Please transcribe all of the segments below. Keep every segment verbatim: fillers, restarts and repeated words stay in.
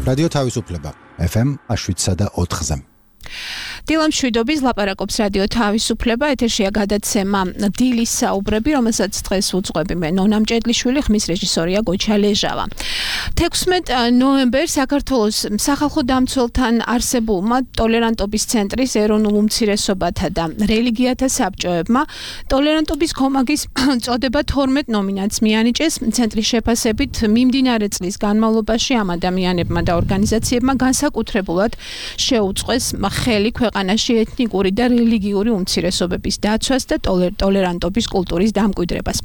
რადიო თავისუფლება ეფ ემ შვიდსა და ოთხზე. დილამ შვიდობის ლაპარაკობს რადიო თავისუფლება, ეთერშია გადაცემა დილის საუბრები, რომელსაც დღეს უძღვები მე ნონა მჭედლიშვილი, ხმის რეჟისორია გოჩა ლეჟავა. თექვსმეტ ნოემბერს საქართველოს სახალხო დამცველთან არსებულმა ტოლერანტობის ცენტრის ეროვნულ უმცირესობათა და რელიგიათა საბჭოებმა ტოლერანტობის კომაგის წოდება თორმეტ ნომინანტს მიანიჭეს. ცენტრის შეფასებით მიმდინარე წლის განმავლობაში ამ ადამიანებმა და ორგანიზაციებმა განსაკუთრებულად შეუწყეს ხელი ქვეყანაში ეთნიკური და რელიგიური უმცირესობების დაცვას და ტოლერანტობის კულტურის დამკვიდრებას.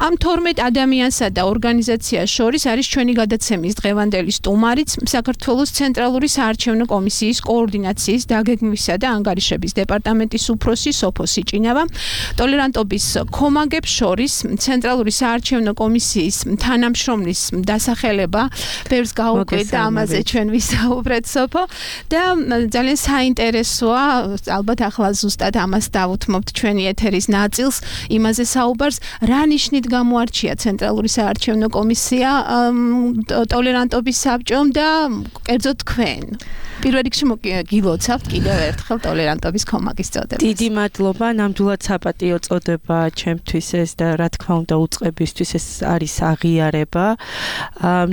ამ თორმეტ ადამიანსა და ორგანიზაციას შორის არის ჩვენი გადაცემის დღევანდელი სტუმარიც, საქართველოს ცენტრალური საარჩევნო კომისიის კოორდინაციის დაგეგმვისა და ანგარიშების დეპარტამენტის უფროსი სოფო სიჭინავა, ტოლერანტობის კომაგებს შორის ცენტრალური საარჩევნო კომისიის თანამშრომლის დასახელება, ბევრს გაუკვირდა და ამაზე ჩვენ ვისაუბრეთ სოფო და ძალიან საინტერესოა, ალბათ ახლა ზუსტად ამას დავუთმობთ ჩვენი ეთერის ნაწილს, იმაზე საუბარს, რა ნიშნით გამოარჩია ცენტრალური საარჩევნო კომისია ტოლერანტობის საბჭომ და კერძოდ თქვენ. პირველ რიგში გილოცავთ კიდევ ერთხელ ტოლერანტობის კომაგის წოდებას. დიდი მადლობა, ნამდვილად საპატიო წოდება ჩემთვის ეს და რა თქმა უნდა უწყებისთვის ეს არის აღიარება.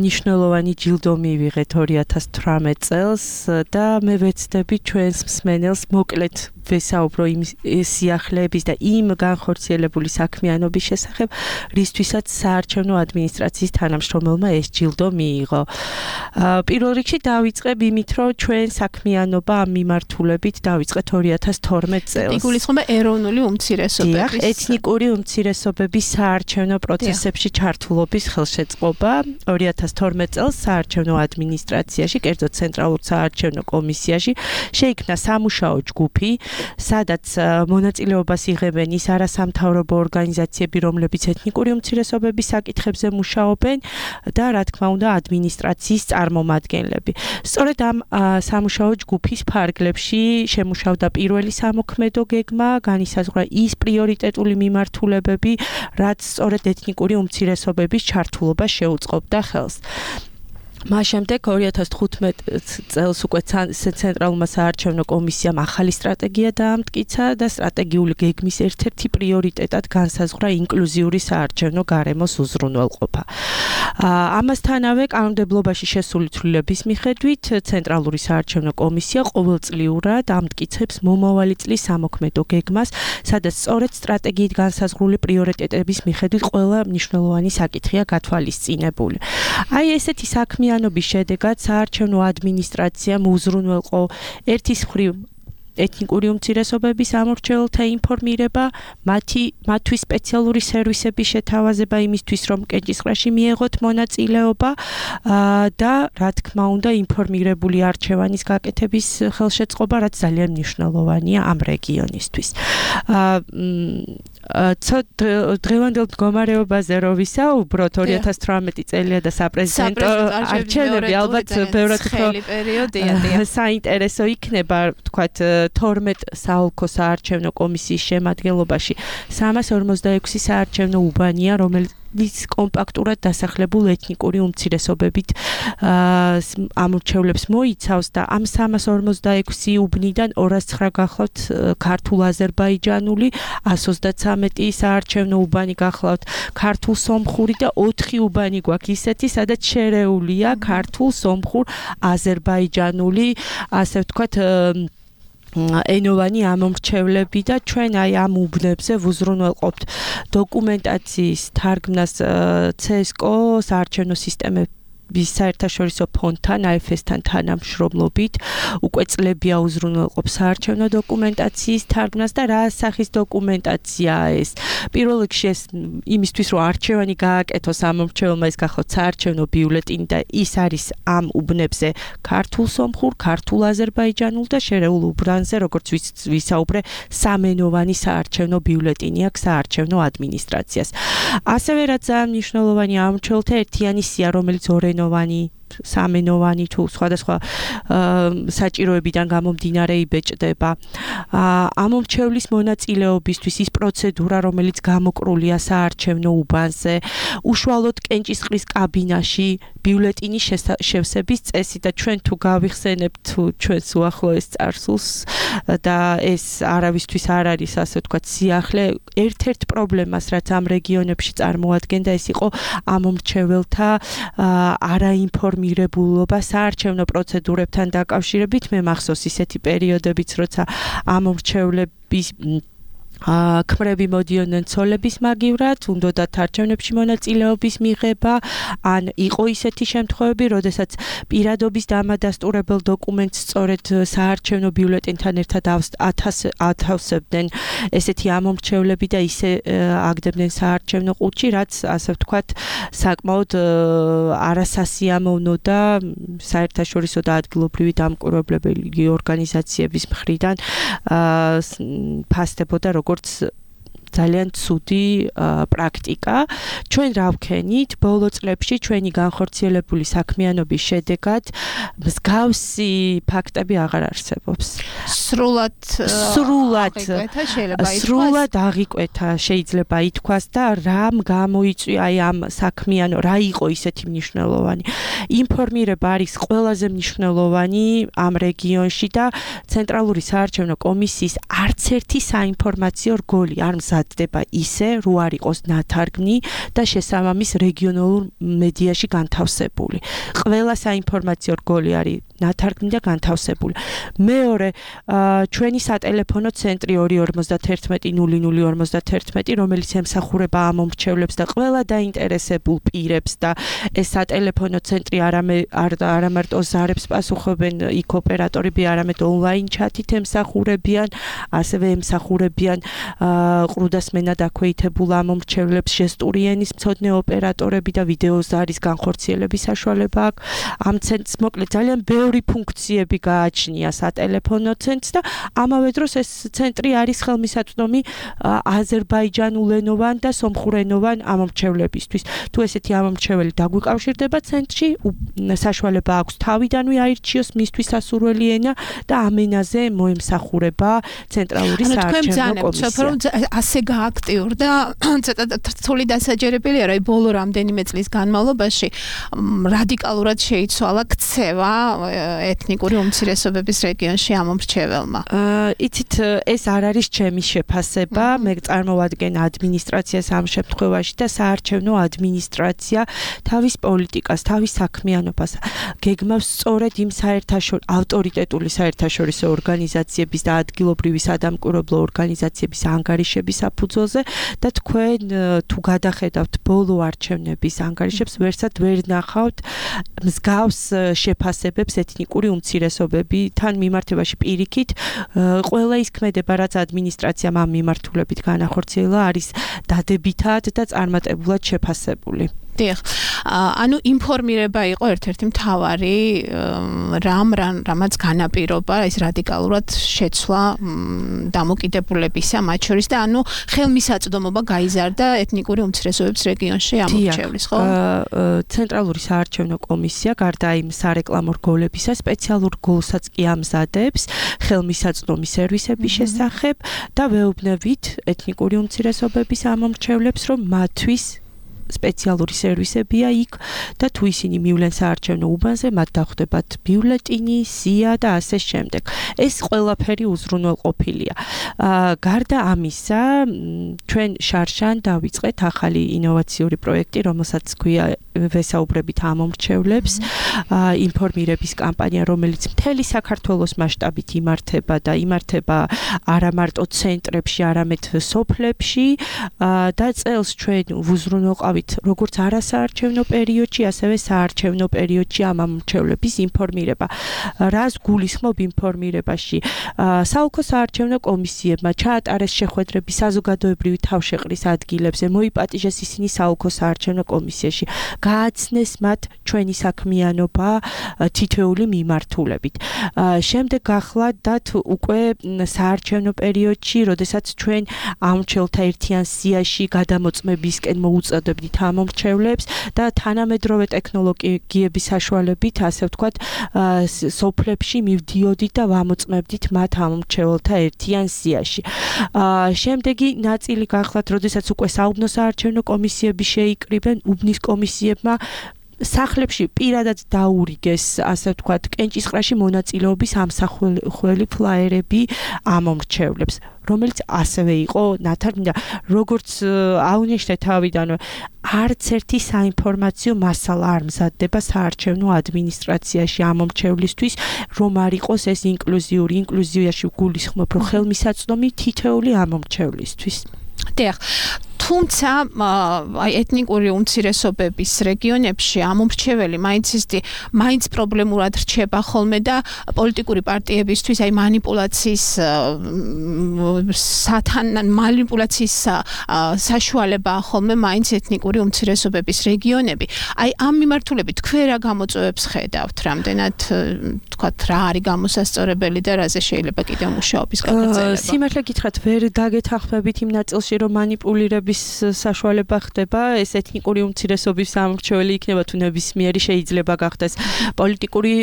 მნიშვნელოვანი ჯილდო მივიღეთ ორი ათას თვრამეტ წელს და მე ვეცდები ჩვენს მსმენელს მოკლედ ვესაუბრო იმ სიახლეების და იმ განხორციელებული საქმიანობის შესახებ, რისთვისაც საარჩევნო ადმინისტრაციის თანამშრომელმა ეს ჯილდო მიიღო. პირველ რიგში დავიწყებ იმით, რომ ჩვენ საქმიანობა ამ მიმართულებით დავიწყეთ ორი ათას თორმეტ წელს. იგულისხმება ეროვნული უმცირესობების, ეთნიკური უმცირესობების საარჩევნო პროცესებში ჩართულობის ხელშეწყობა. ორი ათას თორმეტ წელს საარჩევნო ადმინისტრაციაში, კერძოდ ცენტრალურ საარჩევნო კომისიაში შეიქმნა სამუშაო ჯგუფი, სადაც მონაწილეობას იღებენ ის არასამთავრობო ორგანიზაციები, რომლებიც ეთნიკური უმცირესობების საკითხებზე მუშაობენ და რა თქმა უნდა ადმინისტრაციის წარმომადგენლები. სწორედ ამ სამუშაო ჯგუფის ფარგლებში შემუშავდა პირველი სამოქმედო გეგმა, განისაზღვრა ის პრიორიტეტული მიმართულებები, რაც სწორედ ეთნიკური უმცირესობების ჩართულობას შეუწყობდა ხელს. მას შემდეგ ორი ათას თხუთმეტ წელს უკვე ცენტრალურმა საარჩევნო კომისიამ ახალი სტრატეგია დაამტკიცა და სტრატეგიული გეგმის ერთ-ერთი პრიორიტეტად განსაზღვრა ინკლუზიური საარჩევნო გარემოს უზრუნველყოფა. ამასთანავე კანონმდებლობაში შესული ცვლილების მიხედვით ცენტრალური საარჩევნო კომისია ყოველწლიურად ამტკიცებს მომავალი წლის სამოქმედო გეგმას, სადაც სწორედ სტრატეგიით განსაზღვრული პრიორიტეტების მიხედვით ყველა მნიშვნელოვანი საკითხია გათვალისწინებული. აი ესეთი საქმე ობის შედეგად საარჩევნო ადმინისტრაციამ უზრუნველყო ერთის მხრივ ეთნიკური უმცირესობების ამორჩეულთა ინფორმირება, მათი მათთვის სპეციალური სერვისების შეთავაზება იმისთვის, რომ კენჭისყრაში მიეღოთ მონაწილეობა და რა თქმა უნდა ინფორმირებული არჩევანის გაკეთების ხელშეწყობა, რაც ძალიან მნიშვნელოვანია ამ რეგიონისთვის. დღევანდელ მდგომარეობაზე რო ვისაუბროთ, ორი ათას თვრამეტი წელია და საპრეზიდენტო არჩევნები ალბათ ბევრად საინტერესო იქნება, თქვათ თორმეტ საოლქო საარჩევნო კომისიის შემადგენლობაში სამას ორმოცდაექვსი საარჩევნო უბანია, რომელიც კომპაქტურად დასახლებულ ეთნიკური უმცირესობებით ამორჩევლებს მოიცავს და ამ სამას ორმოცდაექვსი უბნიდან ორას ცხრა გახლავთ ქართულ აზერბაიჯანული, ასს ოცდათრამეტი საარჩევნო უბანი გახლავთ ქართულ სომხური და ოთხი უბანი გვაქვს ისეთი, სადაც შერეულია ქართულ, სომხურ, აზერბაიჯანული, ასე ვთქვათ ენოვანი ამომრჩევლები და ჩვენ აი ამ უბნებზე ვუზრუნველყოფთ დოკუმენტაციის თარგმნას ცესკო საარჩევნო სისტემების საერთაშორისო ფონდთან, აი ეფ ეს-თან თანამშრომლობით უკვე წლებია უზრუნველყოფ საარჩევნო დოკუმენტაციის თარგმნას და რა სახის დოკუმენტაციაა ეს? პირველ რიგში ეს იმისთვის, რომ არჩევანი გააკეთოს ამომრჩეველმა, ეს გახლავთ საარჩევნო ბიულეტენი და ის არის ამ უბნებზე ქართულ, სომხურ, ქართულ, აზერბაიჯანულ და შერეულ უბნებზე, როგორც ვისაუბრე, სამენოვანი საარჩევნო ბიულეტენი აქვს საარჩევნო ადმინისტრაციას. ასევე რაც ძალიან მნიშვნელოვანია ამომრჩეველთა ერთიანი სია, რომელიც ორენოვანი სამენოვანი თუ სხვადასხვა საჭიროებიდან გამომდინარე იბეჭდება. ამომრჩევლის მონაწილეობისთვის ის პროცედურა, რომელიც გამოკრულია საარჩევნო უბანზე, უშუალოდ კენჭისყრის კაბინაში ბიულეტინის შევსების წესი და ჩვენ თუ გავიხსენებთ თუ ჩვენს უახლოეს წარსულს და ეს არავისთვის არ არის ასე ვთქვათ სიახლე, ერთ-ერთ პრობლემას რაც ამ რეგიონებში წარმოადგენდა ეს იყო ამომრჩეველთა არაინფორმირებულობა საარჩევნო პროცედურებთან დაკავშირებით. მე მახსოვს ისეთი პერიოდებიც, როცა ამომრჩევლების ქმრები მოდიოდნენ ცოლების მაგივრად, უნდათ არჩევნებში მონაწილეობის მიღება, ან იყო ისეთი შემთხვევები, როდესაც პირადობის დამადასტურებელ დოკუმენტს სწორედ საარჩევნო ბიულეტენთან ერთად ათავსებდნენ ესეთი ამომრჩევლები და ისე აგდებდნენ საარჩევნო ყუთში, რაც ასე ვთქვათ, საკმაოდ არასასიამოვნო და საერთაშორისო და ადგილობრივი დამკვირვებლებელი ორგანიზაციების მხრიდან ფასდებოდა როგორც ძალიან ცუდი პრაქტიკა. ჩვენ რა ვქენით? ბოლო წლებში ჩვენი განხორციელებული საქმიანობის შედეგად მსგავსი ფაქტები აღარ არსებობს. სრულად სრულად შეიძლება ითქვას. სრულად აღიკვეთა შეიძლება ითქვას და რამ გამოიწვია აი ამ საქმიანო, რა იყო ისეთი მნიშვნელოვანი. ინფორმირება არის ყველაზე მნიშვნელოვანი ამ რეგიონში და ცენტრალური საარჩევნო კომისიის არც ერთი საინფორმაციო რგოლი არ მზადდება ისე, რო არ იყოს ნათარგმნი და შესაბამის რეგიონალურ მედიაში განთავსებული. ყველა საინფორმაციო რგოლი არის ნათარგმნი და განთავსებული. მეორე, ჩვენი სატელეფონო ცენტრი ორი ორმოცდაერთმეტი ნული ნული ორმოცდაერთმეტი, რომელიც ემსახურება ამომრჩევლებს და ყველა დაინტერესებულ პირებს და ეს სატელეფონო ცენტრი არა მარტო ზარებს პასუხობენ იქ ოპერატორები, არამედ ონლაინ ჩათით ემსახურებიან, ასევე ემსახურებიან ყრუდასმენად აქვეითებულ ამომრჩევლებს, ჟესტური ენის მცოდნე ოპერატორები და ვიდეო ზარის განხორციელების საშუალება აქვს. ამ ცენტრს მოკლედ ძალიან ბევრი ფუნქციები გააჩნია სატელეფონო ცენტრს და ამავე დროს ეს ცენტრი არის ხელმისაწვდომი აზერბაიჯანულენოვან და სომხურენოვან ამომრჩევლებისთვის. თუ ესეთი ამომრჩეველი დაგვიკავშირდება ცენტრში, საშუალება აქვს თავიდანვე აირჩიოს მისთვის სასურველი ენა და ამ ენაზე მოემსახურება ცენტრალური საარჩევნო კომისია. ასე გააქტიურდა, ცოტა რთული დასაჯერებელია, რომ ბოლო რამდენიმე წლის განმავლობაში რადიკალურად შეიცვალა ქცევა ეთნიკური უმცირესობების რეგიონში ამომრჩეველმა. იცით, ეს არ არის ჩემი შეფასება, მე წარმოვადგენ ადმინისტრაციას ამ შემთხვევაში და საარჩევნო ადმინისტრაცია თავის პოლიტიკას, თავის საქმიანობას გეგმავს სწორედ იმ საერთაშორისო ავტორიტეტული საერთაშორისო ორგანიზაციების და ადგილობრივი სადამკვირვებლო ორგანიზაციების ანგარიშების საფუძველზე და თქვენ თუ გადახედავთ ბოლო არჩევნების ანგარიშებს, ვერსად ვერ ნახავთ მსგავს შეფასებებს ეთნიკური უმცირესობებთან მიმართებაში პირიქით. ყველა ის ქმედება, რაც ადმინისტრაციამ ამ მიმართულებით განახორციელა, არის დადებითად და წარმატებულად შეფასებული. დიახ. ანუ ინფორმირება იყო ერთ-ერთი მთავარი რამ რამაც განაპირობა ეს რადიკალურად შეცვლა დამოკიდებულებისა მათ შორის და ანუ ხელმისაწვდომობა გაიზარდა ეთნიკური უმცირესობების რეგიონში ამორჩევლის, ხო? ცენტრალური საარჩევნო კომისია გარდა იმ სარეკლამო რგოლებისა სპეციალურ რგოლსაც კი ამზადებს ხელმისაწვდომი სერვისების შესახებ და ვეუბნებით ეთნიკური უმცირესობების ამომრჩევლებს, რომ მათთვის სპეციალური სერვისებია იქ და თუ ისინი მივლენ საარჩევნო უბანზე, მათ დახვდებათ ბიულეტინი, სია და ასე შემდეგ. ეს ყველაფერი უზრუნველყოფილია. გარდა ამისა, ჩვენ შარშან დავიწყეთ ახალი ინოვაციური პროექტი, რომელსაც ქვია ვესაუბრებით ამომრჩევლებს, ინფორმირების კამპანია, რომელიც მთელი საქართველოს მასშტაბით იმართება და იმართება არა მარტო ცენტრებში, არამედ სოფლებში და წელს ჩვენ ვუზრუნველყავთ როგორც არასაარჩევნო პერიოდში, ასევე საარჩევნო პერიოდში ამ ამომრჩევლების ინფორმირება. რას გულისხმობ ინფორმირებაში? საოლქო საარჩევნო კომისიებმა ჩაატარეს შეხვედრები საზოგადოებრივი თავშეყრის ადგილებზე, მოიპატიჟეს ისინი საოლქო საარჩევნო კომისიაში. გააცნეს მათ ჩვენი საქმიანობა თითოეული მიმართულებით. შემდეგ გახლავთ უკვე საარჩევნო პერიოდში, როდესაც ჩვენ ამომრჩეველთა ერთიან სიაში გადამოწმებისკენ მოუწოდებთ ვიყიდით ამომრჩევლებს და თანამედროვე ტექნოლოგიების საშუალებით, ასე ვთქვათ, სოფლებში მივდიოდით და ვამოწმებდით მათ ამომრჩეველთა ერთიან სიაში. შემდეგი ნაწილი გახლავთ, როდესაც უკვე საუბნო საარჩევნო კომისიები შეიკრიბნენ, უბნის კომისიებმა სახლებში პირადად დაურიგეს, ასე ვთქვათ, კენჭისყრაში მონაწილეობის ამსახველი ფლაიერები ამომრჩევლებს, რომელიც ასევე იყო ნათარგმნი და როგორც აუნიშნე თავიდანვე, არც ერთი საინფორმაციო მასალა არ მზადდება საარჩევნო ადმინისტრაციაში ამომრჩევლისთვის, რომ არ იყოს ეს ინკლუზიური, ინკლუზიაში გულისხმობ, რომ ხელმისაწვდომი თითოეული ამომრჩევლისთვის. დიახ. თუმცა აი ეთნიკური უმცირესობების რეგიონებში ამომრჩეველი მაინც ისეთი მაინც პრობლემურად რჩება ხოლმე და პოლიტიკური პარტიებისთვის აი манипуляციის სათან манипуляციის საშუალებაა ხოლმე მაინც ეთნიკური უმცირესობების რეგიონები. აი ამ მიმართულებით თქვენ რა გამოწვევებს ხედავთ, რამდენად თქვათ რა არის გამოსასწორებელი და რაზე შეიძლება კიდევ მუშაობის გაგრძელება? სიმართლე გითხრათ, ვერ დაგეთანხმებით იმ ნაწილში, რომ манипуლირების საშუალება ხდება, ეს ეთნიკური უმცირესობის ამორჩეველი იქნება თუ ნებისმიერი შეიძლება გახდეს პოლიტიკური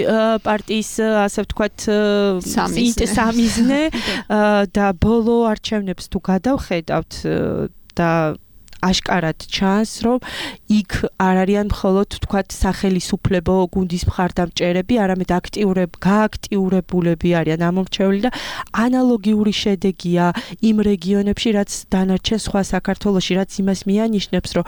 პარტიის, ასე ვთქვათ, სამიზნე და ბოლო არჩევნებს თუ გადავხედავთ და აშკარად ჩანს, რომ იქ არ არიან მხოლოდ თქვათ სახელისუფლებო გუნდის მხარდამჭერები, არამედ აქტიურებ, გააქტიურებულები არიან ამომრჩეველი და ანალოგიური შედეგია იმ რეგიონებში, რაც დანარჩენ სხვა საქართველოში, რაც იმას მიანიშნებს, რომ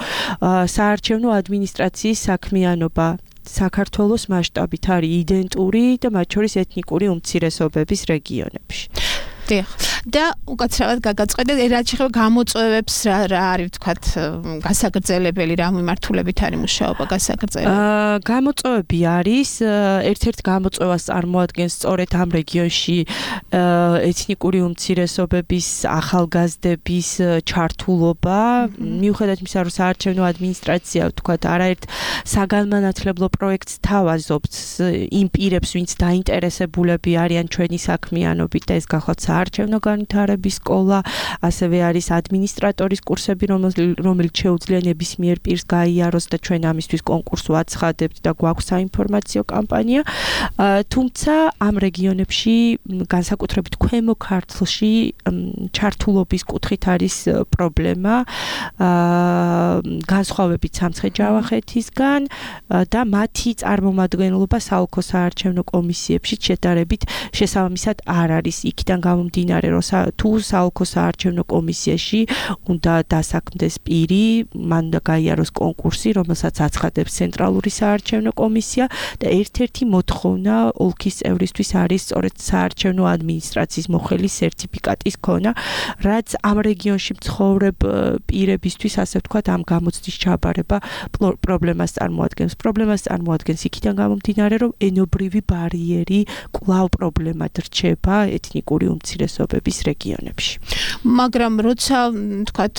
საარჩევნო ადმინისტრაციის საქმიანობა საქართველოს მასშტაბით არის იდენტური და მათ შორის ეთნიკური უმცირესობების რეგიონებში. დიახ. და უკაცრავად გაგაწყედეთ, რაც შეხება გამოწვევებს რა რა არის ვთქვათ გასაგრძელებელი, რა მიმართულებით არის მუშაობა გასაგრძელებელი? აა გამოწვევები არის, ერთ-ერთ გამოწვევას წარმოადგენს სწორედ ამ რეგიონში ეთნიკური უმცირესობების ახალგაზრდების ჩართულობა, მიუხედავად იმისა, რომ საარჩევნო ადმინისტრაცია ვთქვათ არაერთ საგანმანათლებლო პროექტს თავაზობს იმ პირებს, ვინც დაინტერესებულები არიან ჩვენი საქმიანობით და ეს გახლავთ საარჩევნო განვითარების სკოლა, ასევე არის ადმინისტრატორის კურსები, რომელიც შეუძლია ნებისმიერ პირს გაიაროს და ჩვენ ამისთვის კონკურსს ვაცხადებთ და გვაქვს საინფორმაციო კამპანია. თუმცა ამ რეგიონებში, განსაკუთრებით ქვემო ქართლში, ჩართულობის კუთხით არის პრობლემა, განსხვავებით სამცხე-ჯავახეთისგან და მათი წარმომადგენლობა საოლქო საარჩევნო კომისიებში შედარებით შესაბამისად არ არის. იქიდან გამომდინარე, რომ თუ საოლქო საარჩევნო კომისიაში უნდა დასაქმდეს პირი, მან უნდა გაიაროს კონკურსი, რომელსაც აცხადებს ცენტრალური საარჩევნო კომისია და ერთ-ერთი მოთხოვნა ოლქის წევრისთვის არის სწორედ საარჩევნო ადმინისტრაციის მოხელის სერტიფიკატის ქონა, რაც ამ რეგიონში მცხოვრებ პირებისთვის, ასე ვთქვათ, ამ გამოცდის ჩაბარება პრობლემას წარმოადგენს. პრობლემას წარმოადგენს იქიდან გამომდინარე, რომ ენობრივი ბარიერი კვლავ პრობლემად რჩება ეთნიკური უმცირესობების რეგიონებში. მაგრამ როცა თქვათ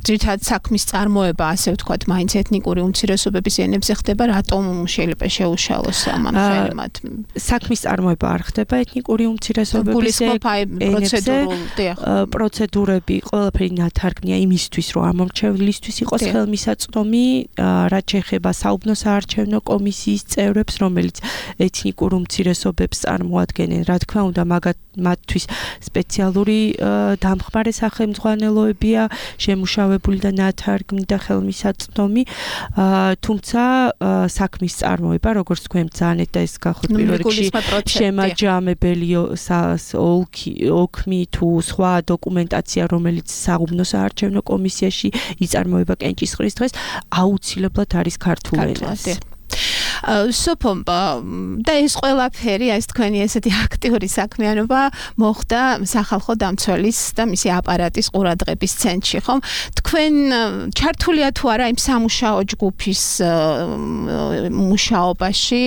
ძირითადად საქმის წარმოება, ასე ვთქვათ, მაინც ეთნიკური უმცირესობების ენებზე ხდება, რატომ შეიძლება შეუშალოს ამ ხელმად? საქმის წარმოება არ ხდება ეთნიკური უმცირესობების ენებზე. პროცედურები ყველაფერი ნათარგმნია იმისთვის, რომ ამომრჩევლისთვის იყოს ხელმისაწვდომი, რაც შეეხება საუბნო საარჩევნო კომისიის წევრებს, რომელიც ეთნიკურ უმცირესობებს წარმოადგენენ. რა თქმა უნდა, მათთვის სპეციალური დამხმარე სახელმძღვანელოებია შემუშავებული და ნათარგმნი და ხელმისაწვდომი, თუმცა საქმის წარმოება, როგორც თქვენ ბრძანეთ და ეს გახლავთ პირველ რიგში შემაჯამებელი ოქმი თუ სხვა დოკუმენტაცია, რომელიც საუბნო საარჩევნო კომისიაში იწარმოება კენჭისყრის დღეს, აუცილებლად არის ქართულ ენაზე. სოფო და ეს ყველაფერი, ეს თქვენი ესეთი აქტიური საქმიანობა მოხდა სახალხო დამცველის და მისი აპარატის ყურადღების ცენტრში, ხომ? თქვენ ჩართულია თუ არა იმ სამუშაო ჯგუფის მუშაობაში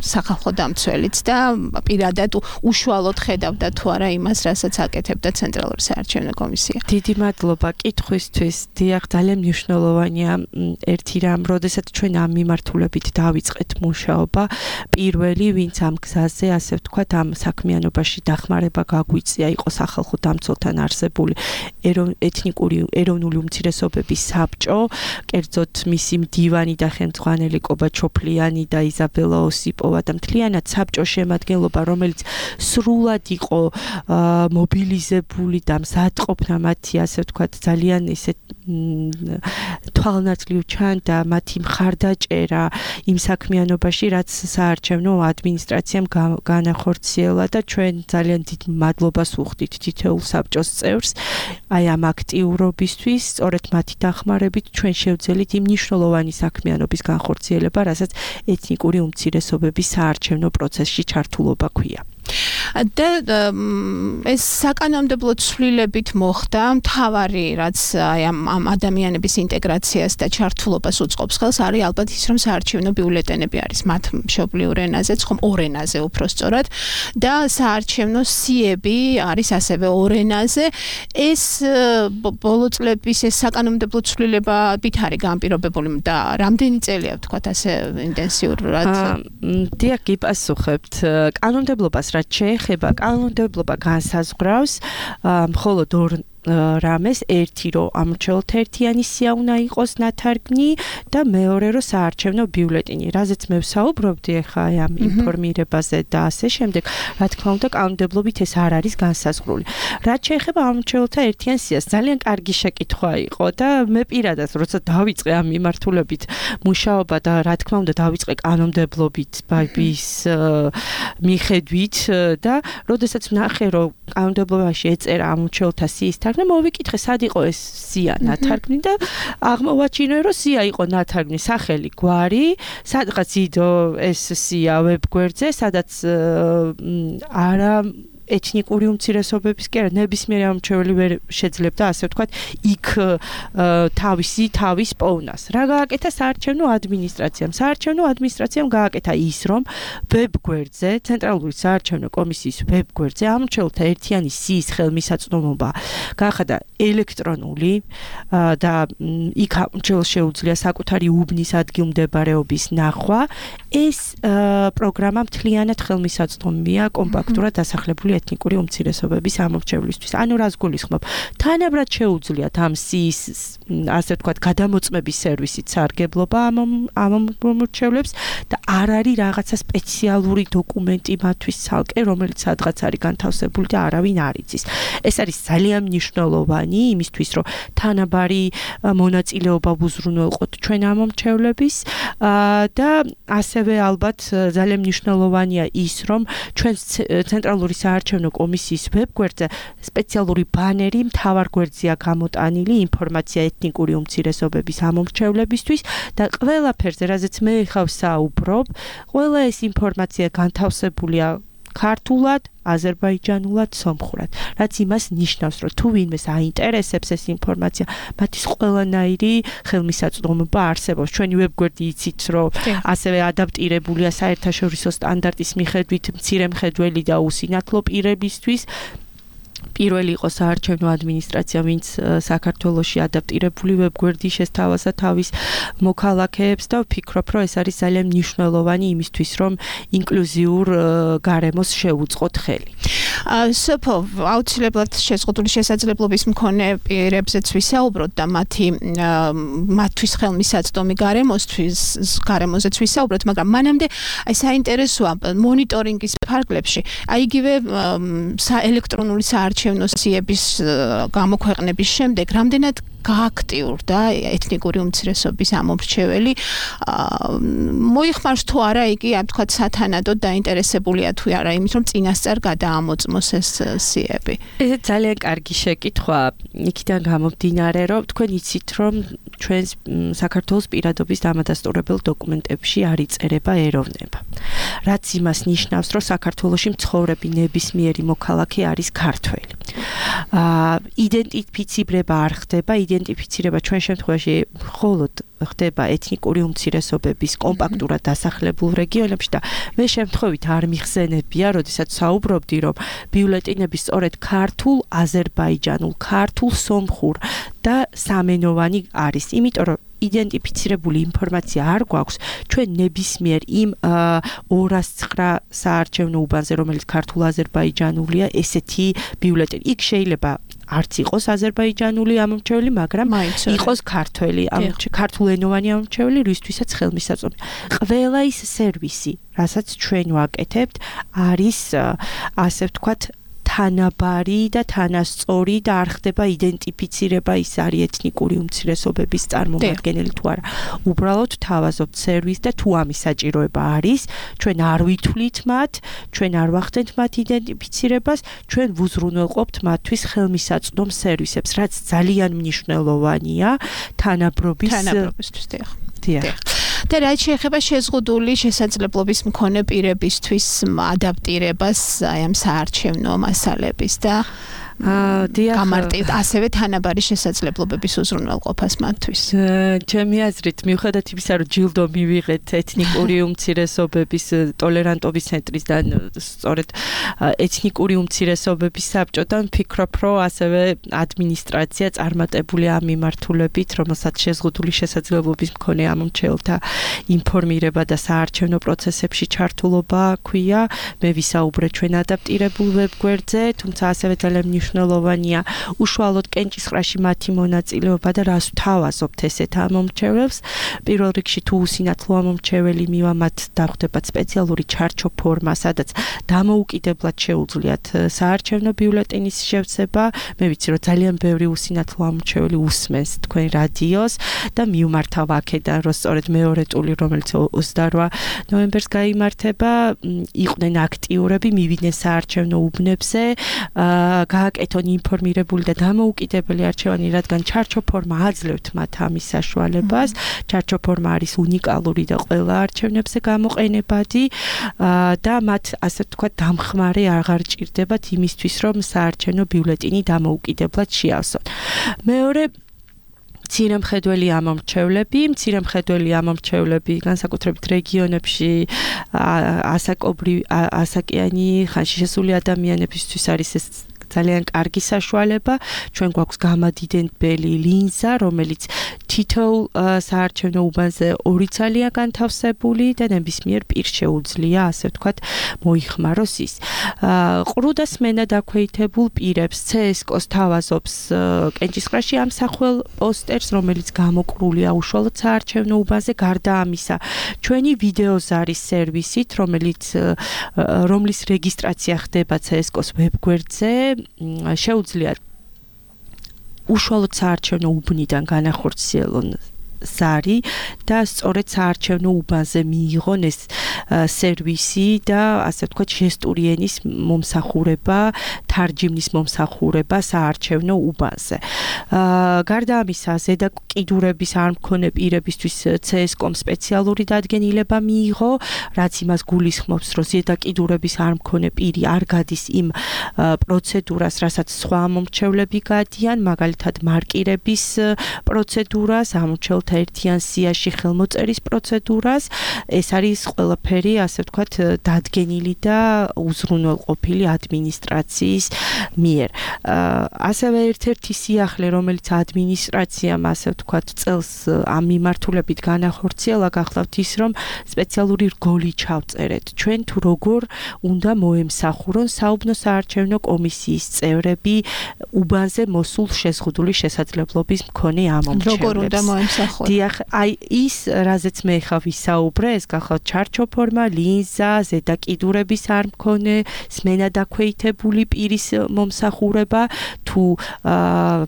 სახალხო დამცველიც და პირადად უშუალოდ ხედავდა თუ არა იმას, რასაც აკეთებდა ცენტრალური საარჩევნო კომისია? დიდი მადლობა კითხვისთვის. დიახ, ძალიან მნიშვნელოვანია ერთი რამ, როდესაც ჩვენ ამ მიმართულებით დავიწყეთ მუშაობა. პირველი, ვინც ამ გზაზე, ასე ვთქვათ, ამ საქმიანობაში დახმარება გაგვიწია, იყო სახალხო დამცველთან არსებული ეთნიკური ეროვნული უმცირესობების საბჭო, კერძოდ მისი მდივანი და ხელმძღვანელი კობაჩოფლიანი და იზაბელა ოსიპოვა და მთლიანად საბჭოს შემადგენლობა, რომელიც სრულად იყო მობილიზებული და მზადყოფნა მათი, ასე ვთქვათ, ძალიან ისე თვალნაცვლივ ჩანდა მათი მხარდაჭერა იმ საქმიანობაში, რაც საარჩევნო ადმინისტრაციამ განახორციელა და ჩვენ ძალიან დიდ მადლობას ვუხდით თითოეულ საბჭოს წევრს აი ამ აქტიურობისთვის, სწორედ მათი დახმარებით ჩვენ შევძელით იმ მნიშვნელოვანი საქმიანობის განხორციელება, რასაც ეთნიკური უმცირესობების საარჩევნო პროცესში ჩართულობა ქვია. და ეს საკანონმდებლო ცვლილებით მოხდა, მთავარი რაც აი ამ ადამიანების ინტეგრაციას და ჩართულობას უწყობს ხელს, არის ალბათ ის, რომ საარჩევნო ბიულეტენები არის მათ მშობლიურ ენაზე, ხომ ორ ენაზე უფრო სწორად და საარჩევნო სიები არის ასევე ორ ენაზე. ეს ბოლო წლების ეს საკანონმდებლო ცვლილება ვით არის განპირობებული და რამდენი წელია ვთქვათ ასე ინტენსიურად? დიახ, გიპასუხებთ. კანონმდებლობას რაც შეეხება, კანონმდებლობა განსაზღვრავს მხოლოდ ორ რამეს, ერთი რომ ამორჩეულთა ერთიანი სია უნდა იყოს ნათარგმნი და მეორე რომ საარჩევნო ბიულეტენი, რაზეც მე ვსაუბრობდი ახლა ამ ინფორმირებაზე და ასე შემდეგ, რა თქმა უნდა, კანონმდებლობით ეს არ არის განსაზღვრული. რაც შეეხება ამორჩეულთა ერთიან სიას, ძალიან კარგი შეკითხვა იყო და მე პირადად, როცა დავიწყე ამ მიმართულებით მუშაობა და რა თქმა უნდა, დავიწყე კანონმდებლობით, ბაიბის მიხედვით და როდესაც ვნახე, რომ კანონმდებლობაში ეწერა ამორჩეულთა სიის და მოვიკითხე, სად იყო ეს სია ნათარგმნი და აღმოვაჩინე, რომ სია იყო ნათარგმნი სახელი გვარი, სადღაც იდო ეს სია ვებგვერდზე, სადაც არა ეთნიკური უმცირესობების კი არა, ნებისმიერი ამორჩეველი ვერ შეძლებდა, ასე ვთქვათ, იქ თავისი თავის პოვნას. რა გააკეთა საარჩევნო ადმინისტრაციამ? საარჩევნო ადმინისტრაციამ გააკეთა ის, რომ ვებგვერდზე, ცენტრალური საარჩევნო კომისიის ვებგვერდზე ამორჩეულთა ერთიანი სიის ხელმისაწვდომობა გაახადა ელექტრონული და იქ ამორჩეულს შეუძლია საკუთარი უბნის ადგილმდებარეობის ნახვა. ეს პროგრამა მთლიანად ხელმისაწვდომია კომპაქტურად დასახლებული ეთნიკური უმცირესობების ამორჩევლისთვის. ანუ რას გულისხმობ? თანაბრად შეუძლიათ ამ სიის, ასე ვთქვათ, გადამოწმების სერვისით სარგებლობა ამ ამორჩევლებს და არ არის რაღაცა სპეციალური დოკუმენტი მათთვის ცალკე, რომელიც სადღაც არის განთავსებული და არავინ არ იცის. ეს არის ძალიან მნიშვნელოვანი იმისთვის, რომ თანაბარი მონაწილეობა უზრუნველყოთ ჩვენ ამორჩევლების და ასევე ალბათ ძალიან მნიშვნელოვანია ის, რომ ჩვენ ცენტრალური საარჩევნო კომისიის ვებგვერდზე სპეციალური ბანერი მთავარ გვერდზეა გამოტანილი ინფორმაცია ეთნიკური უმცირესობების ამორჩევლებისთვის და ყველაფერზე, რაზეც მე ხავ საუბრობ, ყველა ეს ინფორმაცია განთავსებულია ქართულად, აზერბაიჯანულად, სომხურად. რაც იმას ნიშნავს, რომ თუ ვინმეს აინტერესებს ეს ინფორმაცია, მათთვის ყველანაირი ხელმისაწვდომობა არსებობს. ჩვენი ვებგვერდი იცით, რომ ასევე ადაპტირებულია საერთაშორისო სტანდარტის მიხედვით მცირე მხედველი და უსინათლო პირებისთვის. პირველი იყო საარჩევნო ადმინისტრაცია, ვინც საქართველოში ადაპტირებული ვებგვერდი შესთავაზა თავის მოქალაქეებს და ვფიქრობ, რომ ეს არის ძალიან მნიშვნელოვანი იმისთვის, რომ ინკლუზიურ გარემოს შევუწყოთ ხელი. სოფო, აუცილებლად შეზღუდული შესაძლებლობის მქონე პირებზეც ვისაუბროთ და მათი მათთვის ხელმისაწვდომი გარემოსთვის გარემოზეც ვისაუბროთ, მაგრამ მანამდე აი საინტერესოა მონიტორინგის ფარგლებში, აი იგივე ელექტრონული საარჩევნო სიების გამოქვეყნების შემდეგ რამდენად გააქტიურდა ეთნიკური უმცირესობის ამორჩეველი, მოიხმარს თუ არა იგი, ამ თქვა სათანადოდ დაინტერესებულია თუ არა იმით, რომ წინასწარ გადაამოწმოს ეს სიები. ეს ძალიან კარგი შეკითხვა. იქიდან გამომდინარე, რომ თქვენ იცით, რომ ჩვენს საქართველოს პირადობის დამადასტურებელ დოკუმენტებში არ იწერება ეროვნება. რაც იმას ნიშნავს, რომ საქართველოში მცხოვრები ნებისმიერი მოქალაქე არის ქართველი. აა იდენტიფიცირება არ ხდება, იდენტიფიცირება ჩვენ შემთხვევაში მხოლოდ ხდება ეთნიკური უმცირესობების კომპაქტურად დასახლებულ რეგიონებში და მე შემთხვევით არ მიხსენებია, როდესაც საუბრობდი, რომ ბიულეტინები სწორედ ქართულ, აზერბაიჯანულ, ქართულ, სომხურ და სამენოვანი არის, იმიტომ რომ იდენტიფიცირებული ინფორმაცია არ გვაქვს ჩვენ ნებისმიერ იმ ორას ცხრა საარჩევნო უბანზე, რომელიც ქართულ აზერბაიჯანულია, ესეთი ბიულეტენი. იქ შეიძლება არც იყოს აზერბაიჯანული ამომრჩეველი, მაგრამ იყოს ქართველი, ქართულენოვანი ამომრჩეველი, რისთვისაც ხელმისაწვდომი. ყველა ის სერვისი, რასაც ჩვენ ვაკეთებთ, არის ასე ვთქვათ თანაბარი და თანასწორი და არ ხდება იდენტიფიცირება ის არის ეთნიკური უმცირესობების წარმომადგენელი თუ არა. უბრალოდ თავაზობთ სერვისს და თუ ამის საჭიროება არის, ჩვენ არ ვითვლით მათ, ჩვენ არ ვახდენთ მათ იდენტიფიცირებას, ჩვენ ვუზრუნველყოფთ მათთვის ხელმისაწვდომ სერვისებს, რაც ძალიან მნიშვნელოვანია თანაბრობის თანაბრობისთვის. დიახ. და რაც შეეხება შეზღუდული შესაძლებლობის მქონე პირებისთვის ადაპტირებას აი ამ საარჩევნო მასალების და გამარტივ ასევე თანაბარი შესაძლებლობების უზრუნველყოფას მათთვის. ჩემი აზრით, მიუხედავად იმისა, რომ ჯილდო მივიღეთ ეთნიკური უმცირესობების ტოლერანტობის ცენტრისგან, სწორედ ეთნიკური უმცირესობების საბჭოდან, ვფიქრობ, რომ ასევე ადმინისტრაცია წარმატებული ამ მიმართულებით, რომელსაც შეზღუდული შესაძლებლობის მქონე ამომრჩეველთა ინფორმირება და საარჩევნო პროცესებში ჩართულობა ქვია. მე ვისაუბრე ჩვენ ადაპტირებულ ვებგვერდზე, თუმცა ასევე ძალიან მნიშვნელოვანია უშუალოდ კენჭისყრაში მათი მონაწილეობა და რას ვთავაზობთ ესეთ ამომრჩეველებს. პირველ რიგში თუ usინათლო ამომრჩეველი მივა, მათ დახვდებათ სპეციალური ჩარჩო ფორმა, სადაც დამოუკიდებლად შეუძლიათ საარჩევნო ბიულეტენის შევცება. მე ვიცი, რომ ძალიან ბევრი usინათლო ამომრჩეველი უსმენს თქვენ რადიოს და მიუმართავ აქედან, რომ სწორედ მეორე ტური, რომელიც ოცდაორ ნოემბერს გაიმართება, იყვნენ აქტიურები, მივიდნენ საარჩევნო უბნებზე, გააკეთონ ინფორმირებული და დამოუკიდებელი არჩევანი, რადგან ჩარჩო ფორმა აძლევთ მათ ამის საშუალებას. ჩარჩო ფორმა არის უნიკალური და ყველა არჩევნებზე გამოყენებადი და მათ ასე ვთქვათ დამხმარე აღარ ჭირდებათ იმისთვის, რომ საარჩევნო ბიულეტენი დამოუკიდებლად შეავსონ. მეორე მცირემხედველი ამომრჩევლები, მცირემხედველი ამომრჩევლები განსაკუთრებით რეგიონებში ასაკობრივი, ასაკიანი, ხანში შესული ადამიანებისთვის არის ეს ძალიან კარგი საშუალება. ჩვენ გვაქვს გამადიდებელი ლინზა, რომელიც თითოეულ საარჩევნო უბანზე ორი ძალია განთავსებული და ნებისმიერ პირს შეუძლია, ასე ვთქვათ, მოიხმაროს ის. ყრუ და სმენა დაქვეითებულ პირებს ცსკოს თავაზობს კენჭისყრაში ამსახველ პოსტერს, რომელიც გამოყრულია უშუალოდ საარჩევნო უბანზე. გარდა ამისა, ჩვენი ვიდეოზარის სერვისით, რომელიც რომლის რეგისტრაცია ხდება ცსკოს ვებგვერდზე, შეუძლიათ უშუალოდ საარჩევნო უბნიდან განახორციელონ ზარი და სწორედ საარჩევნო უბანზე მიიღონ ეს სერვისი და ასე ვთქვათ ჟესტური ენის მომსახურება, თარჯიმნის მომსახურება საარჩევნო უბანზე. გარდა ამისა, ზედა კიდურების არ მქონე პირებისთვის ცსკომ სპეციალური დადგენილება მიიღო, რაც იმას გულისხმობს, რომ ზედა კიდურების არ მქონე პირი არ გადის იმ პროცედურას, რასაც სხვა ამომრჩევლები გადიან, მაგალითად მარკირების პროცედურას, ამომრჩევლთა ერთიან სიაში ხელმოწერის პროცედურას. ეს არის ყველაფერი, ასე ვთქვათ, დადგენილი და უზრუნველყოფილი ადმინისტრაციის მიერ. ასევე ერთ-ერთი სიახლე, რომელიც ადმინისტრაციამ, ასე ვთქვათ, წელს ამ მიმართულებით განახორციელა, გახლავთ ის, რომ სპეციალური რგოლი ჩავწერეთ. ჩვენ თუ როგორ უნდა მოემსახურონ საუბნო საარჩევნო კომისიის წევრები უბანზე მოსულ შეზღუდული შესაძლებლობის მქონე ამომრჩევლებს. როგორ უნდა მოემსახურონ? დიახ, აი ის, რაზეც მე ხა ვისაუბრე, ეს გახლავთ ჩარჩო ფორმა, ლინზა, ზედა კიდურების არ მქონე, სმენა დაქვეითებული პირის მომსახურება, თუ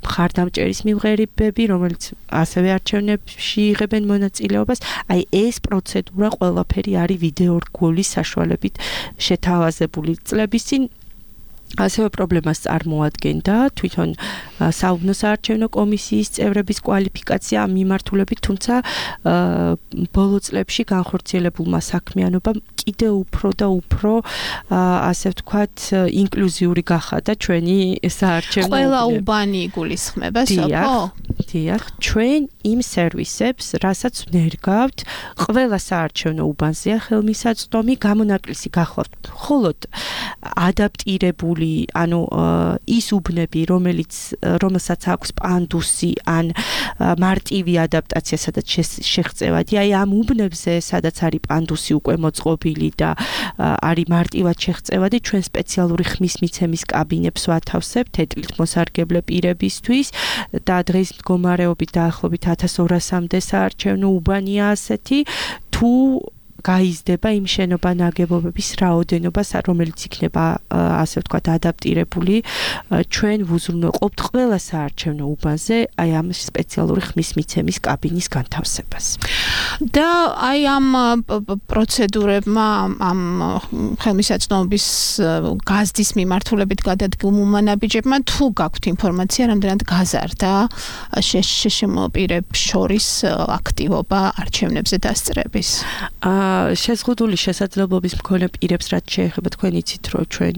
მხარდამჭერის მიმღერებები, რომელიც ასევე არჩევნებში იღებენ მონაწილეობას, აი ეს პროცედურა ყველაფერი არის ვიდეო რგოლის საშუალებით შეთავაზებული. წლების წინ ასევე პრობლემას წარმოადგენდა თვითონ საუბნო საარჩევნო კომისიის წევრების კვალიფიკაცია ამ მიმართულებით, თუმცა ბოლო წლებში განხორციელებულმა საქმიანობამ კიდევ უფრო და უფრო ასე ვთქვათ ინკლუზიური გახადა ჩვენი საარჩევნო ყველა უბანი იგულისხმება, სოფო? დიახ, ჩვენ იმ სერვისებს, რასაც ვნერგავთ, ყველა საარჩევნო უბანზეა ხელმისაწვდომი, გამონაკლისი გახლავთ მხოლოდ ადაპტირებული, ანუ ის უბნები, რომელიც რომელსაც აქვს პანდუსი ან მარტივი ადაპტაცია, სადაც შეღწევადია, აი ამ უბნებზე, სადაც არის პანდუსი უკვე მოწყობილი და არის მარტივად შეღწევადი, ჩვენ სპეციალური ხმის მიცემის კაბინებს ვათავსებთ ეთლით მოსარგებლე პირებისთვის და დღის მდგომარეობით დაახლოებით ათას ორასამდე საარჩევნო უბანია ასეთი, თუ გაიზრდება იმ შენობა ნაგებობების რაოდენობა, რომელიც იქნება ასე ვთქვათ ადაპტირებული, ჩვენ ვუზრუნველყოფთ ყველა საარჩევნო უბანზე აი ამ სპეციალური ხმის მიცემის კაბინის განთავსებას. და აი ამ პროცედურებმა, ამ ხელმისაწვდომობის გაზდის მიმართულებით გადადგმულმა ნაბიჯებმა თუ გაქვთ ინფორმაცია, რამდენად გაზარდა შეშმო პირებს შორის აქტივობა არჩევნებზე დასწრების? შეზღუდული შესაძლებლობის მქონე პირებს რაც შეეხება თქვენ იცით რომ ჩვენ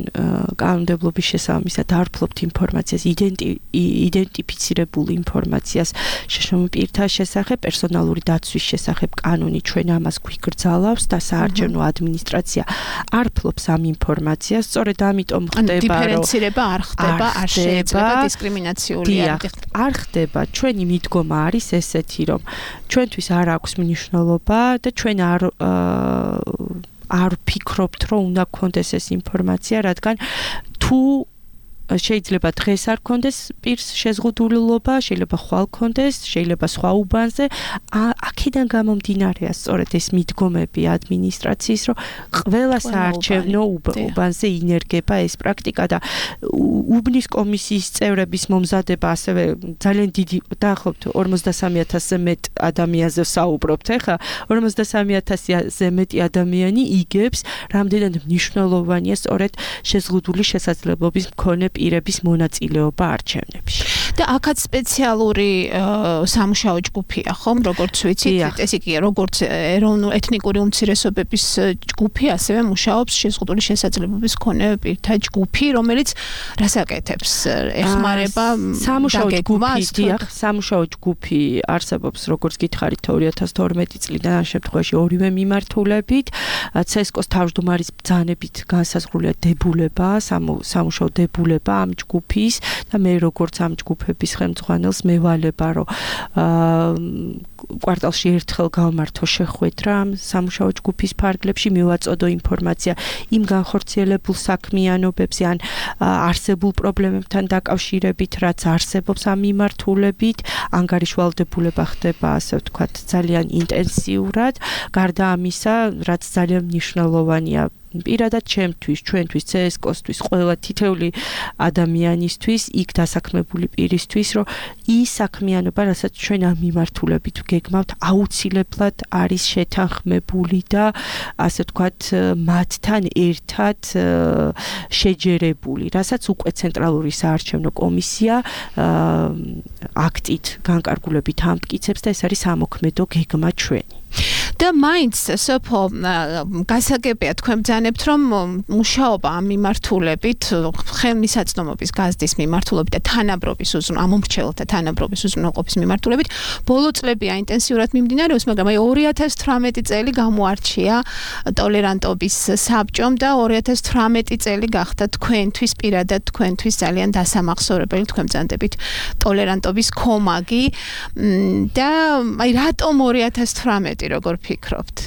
კანონმდებლობის შესაბამისად არ ვფლობთ ინფორმაციას, იდენტიფიცირებულ ინფორმაციას შეშმო პირთა შესახებ, პერსონალური დაცვის შესახებ კანონი ჩვენ ამას გვიგრძალავს და საარჩევნო ადმინისტრაცია არ ფლობს ამ ინფორმაციას, სწორედ ამიტომ ხდება რომ დიფერენცირება არ ხდება, არ შეიძლება დისკრიმინაციული არ ხდება. ჩვენი მიდგომა არის ესეთი, რომ ჩვენთვის არ აქვს მნიშვნელობა და ჩვენ არ არ ვფიქრობთ, რომ უნდა გქონდეს ეს ინფორმაცია, რადგან თუ შეიძლება დღეს არ გქონდეს პირს შეზღუდულობა, შეიძლება ხვალ გქონდეს, შეიძლება სხვა უბანზე, აქედან გამომდინარეა სწორედ ეს მიდგომები ადმინისტრაციის, რომ ყველა საარჩევნო უბანზე ინერგება ეს პრაქტიკა და უბნის კომისიის წევრების მომზადება ასევე ძალიან დიდი, დაახლოებით ორმოცდასამი ათასზე მეტ ადამიანზე ვსაუბრობთ, ეხლა ორმოცდასამი ათასზე მეტი ადამიანი იგებს, რამდენად მნიშვნელოვანია სწორედ შეზღუდული შესაძლებლობის მქონე პირების მონაწილეობა არჩევნებში. და აქაც სპეციალური სამუშაო ჯგუფია, ხომ, როგორც ვიცით, ეს იგი როგორც ეროვნულ ეთნიკური უმცირესობების ჯგუფი, ასევე მუშაობს შეზღუდული შესაძლებლობის მქონე პირთა ჯგუფი, რომელიც რას აკეთებს? ეხმარება სამუშაო ჯგუფი, დიახ, სამუშაო ჯგუფი არსებობს, როგორც გითხარით, ორი ათას თორმეტი წლიდან ამ შემთხვევაში ორივე მიმართულებით, ცესკოს თავმჯდომარის ბრძანებით განსაზღვრულია დებულება, სამუშაო დებულება ამ ჯგუფის და მე როგორც ამ ჯგუფების ხელმძღვანელს მევალება რომ კვარტალში ერთხელ გავმართო შეხვედრა ამ სამუშაო ჯგუფის ფარგლებში, მივაწოდო ინფორმაცია იმ განხორციელებულ საქმიანობებზე ან არსებულ პრობლემებთან დაკავშირებით, რაც არსებობს ამ მიმართულებით, ანგარიშვალდებულება ხდება, ასე ვთქვათ, ძალიან ინტენსიურად, გარდა ამისა, რაც ძალიან მნიშვნელოვანია პირადად ჩემთვის, ჩვენთვის, ცესკოსთვის, ყველა თითეული ადამიანისთვის, იქ დასაქმებული პირისთვის, რომ ის საქმიანობა, რასაც ჩვენ ამ მიმართულებით გეგმავთ, აუცილებლად არის შეთანხმებული და ასე ვთქვათ, მათთან ერთად შეჯერებული, რასაც უკვე ცენტრალური საარჩევნო კომისია აქტით განკარგულებით ამტკიცებს და ეს არის სამოქმედო გეგმა ჩვენი. და მაინც სოფო გასაგებია თქვენ ბრძანებთ, რომ მუშაობა ამ მიმართულებით, ხელმისაწვდომობის გაზდის მიმართულებით და თანაბრობის უზრუნ ამომრჩეველთა თანაბრობის უზრუნველყოფის მიმართულებით ბოლო წლებია ინტენსიურად მიმდინარეობს, მაგრამ აი ორი ათას თვრამეტი წელი გამოარჩია ტოლერანტობის საბჭომ და ორი ათას თვრამეტი წელი გახდა თქვენთვის პირადად თქვენთვის ძალიან დასამახსოვრებელი, თქვენ ბრძანდებით ტოლერანტობის კომაგი და აი რატომ ორი ათას თვრამეტი როგორ ფიქრობთ?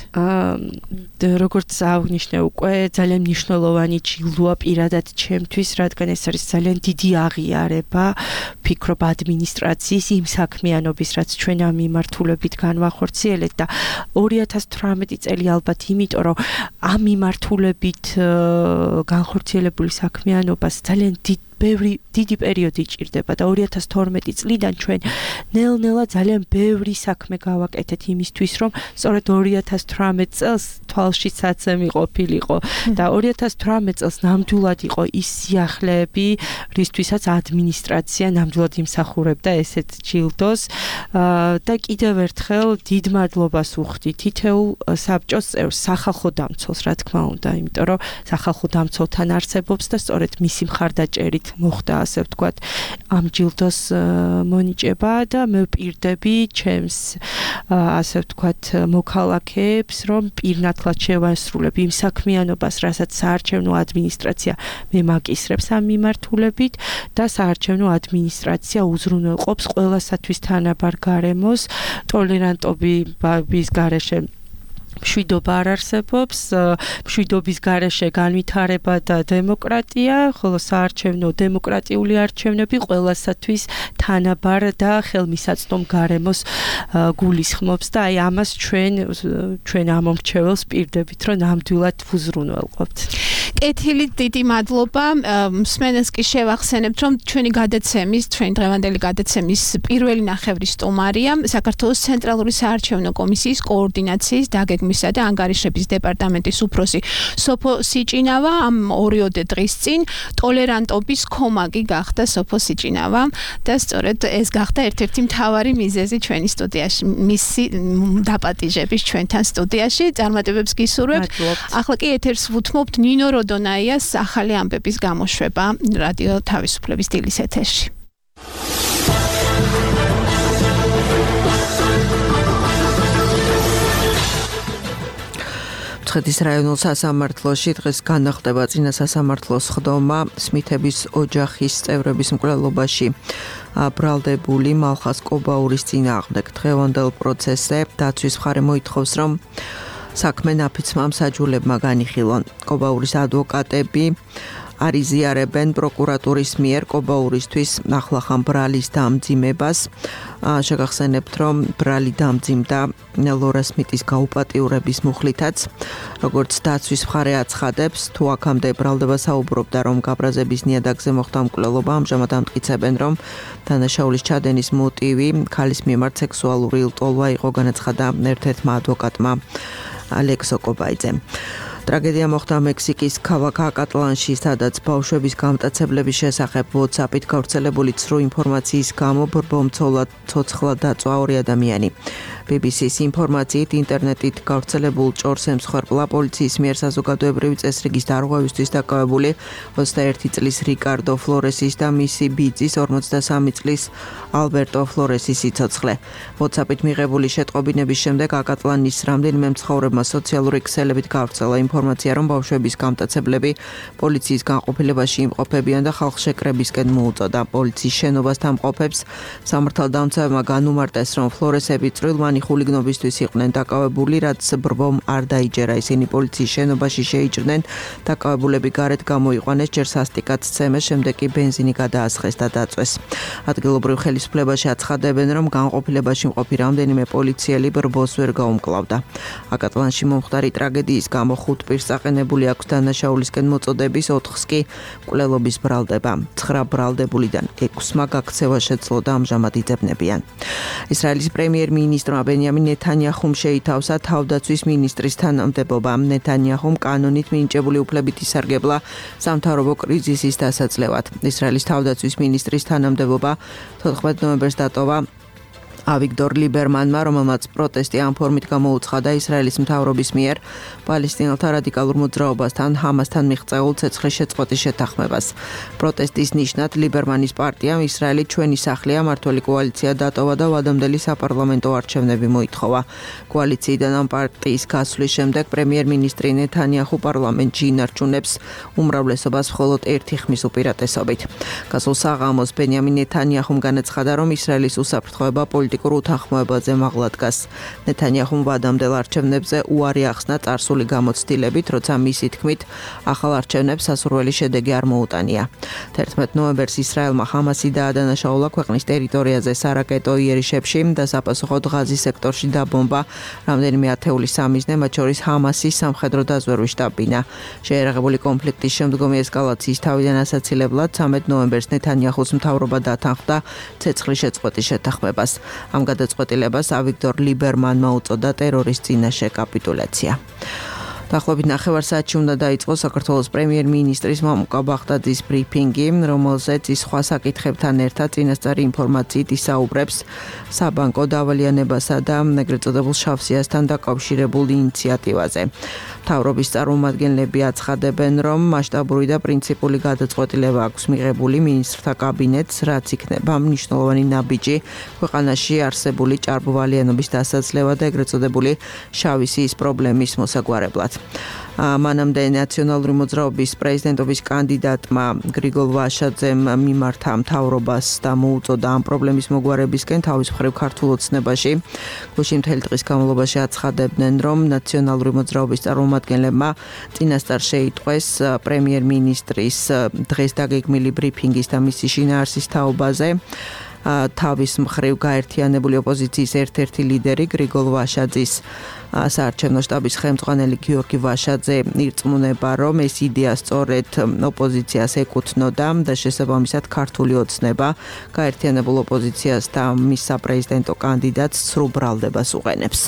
როგორც აღნიშნე უკვე ძალიან მნიშვნელოვანი ჯილდოა პირადად ჩემთვის, რადგან ეს არის ძალიან დიდი აღიარება, ფიქრობ ადმინისტრაციის იმ საქმიანობის, რაც ჩვენ ამ მიმართულებით განვახორციელეთ და ორი ათას თვრამეტი წელი ალბათ იმიტომ, რომ ამ მიმართულებით განხორციელებული საქმიანობას ძალიან დიდი ბევრი დიდი პერიოდი ჭირდება და ორი ათას თორმეტი წლიდან ჩვენ ნელ-ნელა ძალიან ბევრი საქმე გავაკეთეთ იმისთვის, რომ სწორედ ორი ათას თვრამეტ წელს თვალში საცემი ყოფილიყო და ორი ათას თვრამეტ წელს ნამდვილად იყო ის სიახლეები, რისთვისაც ადმინისტრაცია ნამდვილად იმსახურებდა ესეთ ჯილდოს და კიდევ ერთხელ დიდ მადლობას ვუხდი თითოეულ საბჭოს წევრს, სახალხო დამცველს, რა თქმა უნდა, იმიტომ რომ სახალხო დამცველთან არსებობს და სწორედ მისი მხარდაჭერით მოხდა ასე ვთქვათ ამ ჯილდოს მონიჭება და მე ვპირდები ჩემს ასე ვთქვათ მოქალაქეებს რომ პირნათლად შევასრულებ იმ საქმიანობას რასაც საარჩევნო ადმინისტრაცია მემაკისრებს ამ მიმართულებით და საარჩევნო ადმინისტრაცია უზრუნველყოფს ყველასათვის თანაბარ გარემოს ტოლერანტობის გარეშე მშვიდობა არ არსებობს, მშვიდობის გარეშე განვითარება და დემოკრატია, ხოლო საარჩევნო დემოკრატიული არჩევნები ყველასათვის თანაბარ და ხელმისაწვდომ გარემოს გულისხმობს და აი ამას ჩვენ ჩვენ ამომრჩეველს პირდებით, რომ ნამდვილად ვუზრუნველყოფთ. კეთილი დიდი მადლობა. მსმენელს კი შევახსენებთ, რომ ჩვენი გადაცემის, ჩვენი დღევანდელი გადაცემის პირველი ნახევრის სტუმარია საქართველოს ცენტრალური საარჩევნო კომისიის კოორდინაციის დაგეგმვისა და ანგარიშების დეპარტამენტის უფროსი სოფო სიჭინავა. ამ ორიოდე დღის წინ ტოლერანტობის ქომაგი გახდა სოფო სიჭინავა და სწორედ ეს გახდა ერთ-ერთი მთავარი მიზეზი ჩვენი სტუდიაში, მისი დაპატიჟების ჩვენთან სტუდიაში. წარმატებებს გისურვებთ. ახლა კი ეთერს ვუთმობთ ნინო როდონაიას ახალი ამბების გამოშვება რადიო თავისუფლების დილის ეთერში. მცხეთის რაიონულ სასამართლოში დღეს განახდება წინა სასამართლოს ხდომა სმითების ოჯახის წევრების მკვლელობაში ბრალდებული მალხაზ კობაურის წინააღმდეგ. დღევანდელ პროცესზე დაცვის მხარე მოითხოვს, რომ საქმე ნაფიცმა მსაჯულებმა განიხილონ. კობაურის ადვოკატები არიზიარებენ პროკურატურის მიერ კობაურისთვის ახლახან ბრალის დამძიმებას. შეგახსენებთ, რომ ბრალი დამძიმდა ლორა სმიტის გაუპატიურების მუხლითაც. როგორც დაცვის მხარე აცხადებს, თუ აქამდე ბრალდება საუბრობდა, რომ გაბრაზების ნიადაგზე მოხდა მკვლელობა, ამჟამად ამტკიცებენ, რომ დანაშაულის ჩადენის მოტივი ქალის მიმართ სექსუალური ლტოლვა იყო, განაცხადა ერთ-ერთმა ადვოკატმა ალექსო კობაიძემ. ტრაგედია მოხდა მექსიკის ქალაქ აკატლანში, სადაც ბავშვების გამტაცებლების შესახებ WhatsApp-ით გავრცელებული ცრუ ინფორმაციის გამო ბრბომცოლად ცოცხლად დაწვა ორი ადამიანი. ბი ბი სის ინფორმაციით ინტერნეტით გავრცელებულ ჭორს ემსხვერპლა პოლიციის მიერ საზოგადოებრივი წესრიგის დარღვევისთვის დაკავებული ოცდაერთი წლის რიკარდო ფლორესის და მისი ბიძის ორმოცდასამი წლის ალბერტო ფლორესის სიცოცხლე. WhatsApp-ით მიღებული შეტყობინების შემდეგ აკატლანის რამდენიმე მცხოვრებმა სოციალური ქსელებით გავრცელა ინფორმაცია, რომ ბავშვების გამტაცებლები პოლიციის განყოფილებაში იმყოფებიან და ხალხშეკრებისკენ მოუწოდა. პოლიციის შენობასთან მყოფებს სამართალდამცავებმა განუმარტეს, რომ ფლორესები წვრილმანი ხულიგნობისთვის იყვნენ დაკავებული, რაც ბრბომ არ დაიჯერა. ისინი პოლიციის შენობაში შეიჭრნენ, დაკავებულები გარეთ გამოიყვანეს, ჯერ სასტიკად სცემეს, შემდეგ კი ბენზინი გადაასხეს და დაწვეს. ადგილობრივ ხელისუფლებაში აცხადებენ, რომ განყოფილებაში მყოფი რამდენიმე პოლიციელი ბრბოს ვერ გაუმკლავდა. აკატლანში მომხდარი ტრაგედიის გამო ხუთ პირს აყენებული აქვს დანაშაულისკენ მოწოდების, ოთხს კი მკვლელობის ბრალდება. ცხრა ბრალდებულიდან ექვსმა გაქცევა შეძლო და ამჟამად იძებნებიან. ისრაელის პრემიერ-მინისტრმა ბენიამინ ნეთანიაჰუმ შეითავსა თავდაცვის მინისტრის თანამდებობა. ნეთანიაჰუმ კანონით მინიჭებული უფლებით ისარგებლა სამთავრობო კრიზისის დასაძლევად. ისრაელის თავდაცვის მინისტრის თანამდებობა თოთხმეტ ნოემბერს დატოვა ავიგდორ ლიბერმანმა, რომელმაც პროტესტი ამ ფორმით გამოუცხადა ისრაელის მთავრობის მიერ პალესტინელთა რადიკალურ მოძრაობასთან ჰამასთან მიღწეულ ცეცხლის შეწყვეტის შეთანხმებას. პროტესტის ნიშნად ლიბერმანის პარტიამ ისრაელი ჩვენი სახლია მართველი კოალიცია დატოვა და ვადამდელი საპარლამენტო არჩევნები მოითხოვა. კოალიციიდან ამ პარტიის გასვლის შემდეგ პრემიერ-მინისტრი ნეთანიაჰუ პარლამენტში ინარჩუნებს უმრავლესობას მხოლოდ ერთი ხმის უპირატესობით. გასულ საღამოს ბენიამინ ნეთანიაჰუმ განაცხადა, რომ ისრაელის უსაფრთხოება პოლიტიკურ უთანხმოებაზე მაღლა დგას. ნეთანიაჰუმ ვადამდელ არჩევნებზე უარი ახსნა წარსული გამოცდილებით, როცა მისი თქმით ახალ არჩევნებს სასურველი შედეგი არ მოუტანია. თერთმეტ ნოემბერს ისრაელმა ჰამასი დაადანაშაულა ქვეყნის ტერიტორიაზე სარაკეტო იერიშებში და საპასუხოდ ღაზის სექტორში დაბომბა რამდენიმე ათეული სამიზნე, მათ შორის ჰამასის სამხედრო დაზვერვის შტაბ-ბინა. შეერაღებული კონფლიქტის შემდგომი ესკალაციის თავიდან ასაცილებლად ცამეტ ნოემბერს ნეთანიაჰუს მთავრობა დათანხმდა ცეცხლის შეწყვეტის შეთანხმებას. ამ გადაწყვეტილებას ავიგდორ ლიბერმანმა უწოდა ტერორის წინაშე კაპიტულაცია. დაახლოებით ნახევარ საათში უნდა დაიწყოს საქართველოს პრემიერ-მინისტრის მამუკა ბაღდაძის ბრიფინგი, რომელზეც ის სხვა საკითხებთან ერთად წინასწარი ინფორმაციით ისაუბრებს საბანკო დავალიანებასა და ეგრეთ წოდებულ შავ სიასთან დაკავშირებულ ინიციატივაზე. მთავრობის წარმომადგენლები აცხადებენ, რომ მასშტაბური და პრინციპული გადაწყვეტილება აქვს მიღებული მინისტრთა კაბინეტს, რაც იქნება მნიშვნელოვანი ნაბიჯი ქვეყანაში არსებული ჭარბვალიანობის დასაძლევა და ეგრეთ წოდებული შავი სიის პრობლემის მოსაგვარებლად. მანამდე ნაციონალური მოძრაობის პრეზიდენტობის კანდიდატმა გრიგოლ ვაშაძემ მიმართა მთავრობას და მოუწოდა ამ პრობლემის მოგვარებისკენ თავის მხრივ ქართულ ოცნებაში. გუშინ მთელი დღის განმავლობაში აცხადებდნენ, რომ ნაციონალური მოძრაობის წარმომადგენლებმა წინასწარ შეიტყვეს პრემიერ-მინისტრის დღეს დაგეგმილი ბრიფინგის და მისი შინაარსის თაობაზე. თავის მხრივ გაერთიანებული ოპოზიციის ერთ-ერთი ლიდერი გრიგოლ ვაშაძის საარჩევნო შტაბის ხელმძღვანელი გიორგი ვაშაძე ირწმუნება, რომ ეს იდეა სწორედ ოპოზიციას ეკუთვნოდა და შესაბამისად ქართული ოცნება გაერთიანებულ ოპოზიციას და მის საპრეზიდენტო კანდიდატს სრულ ბრალდებას უყენებს.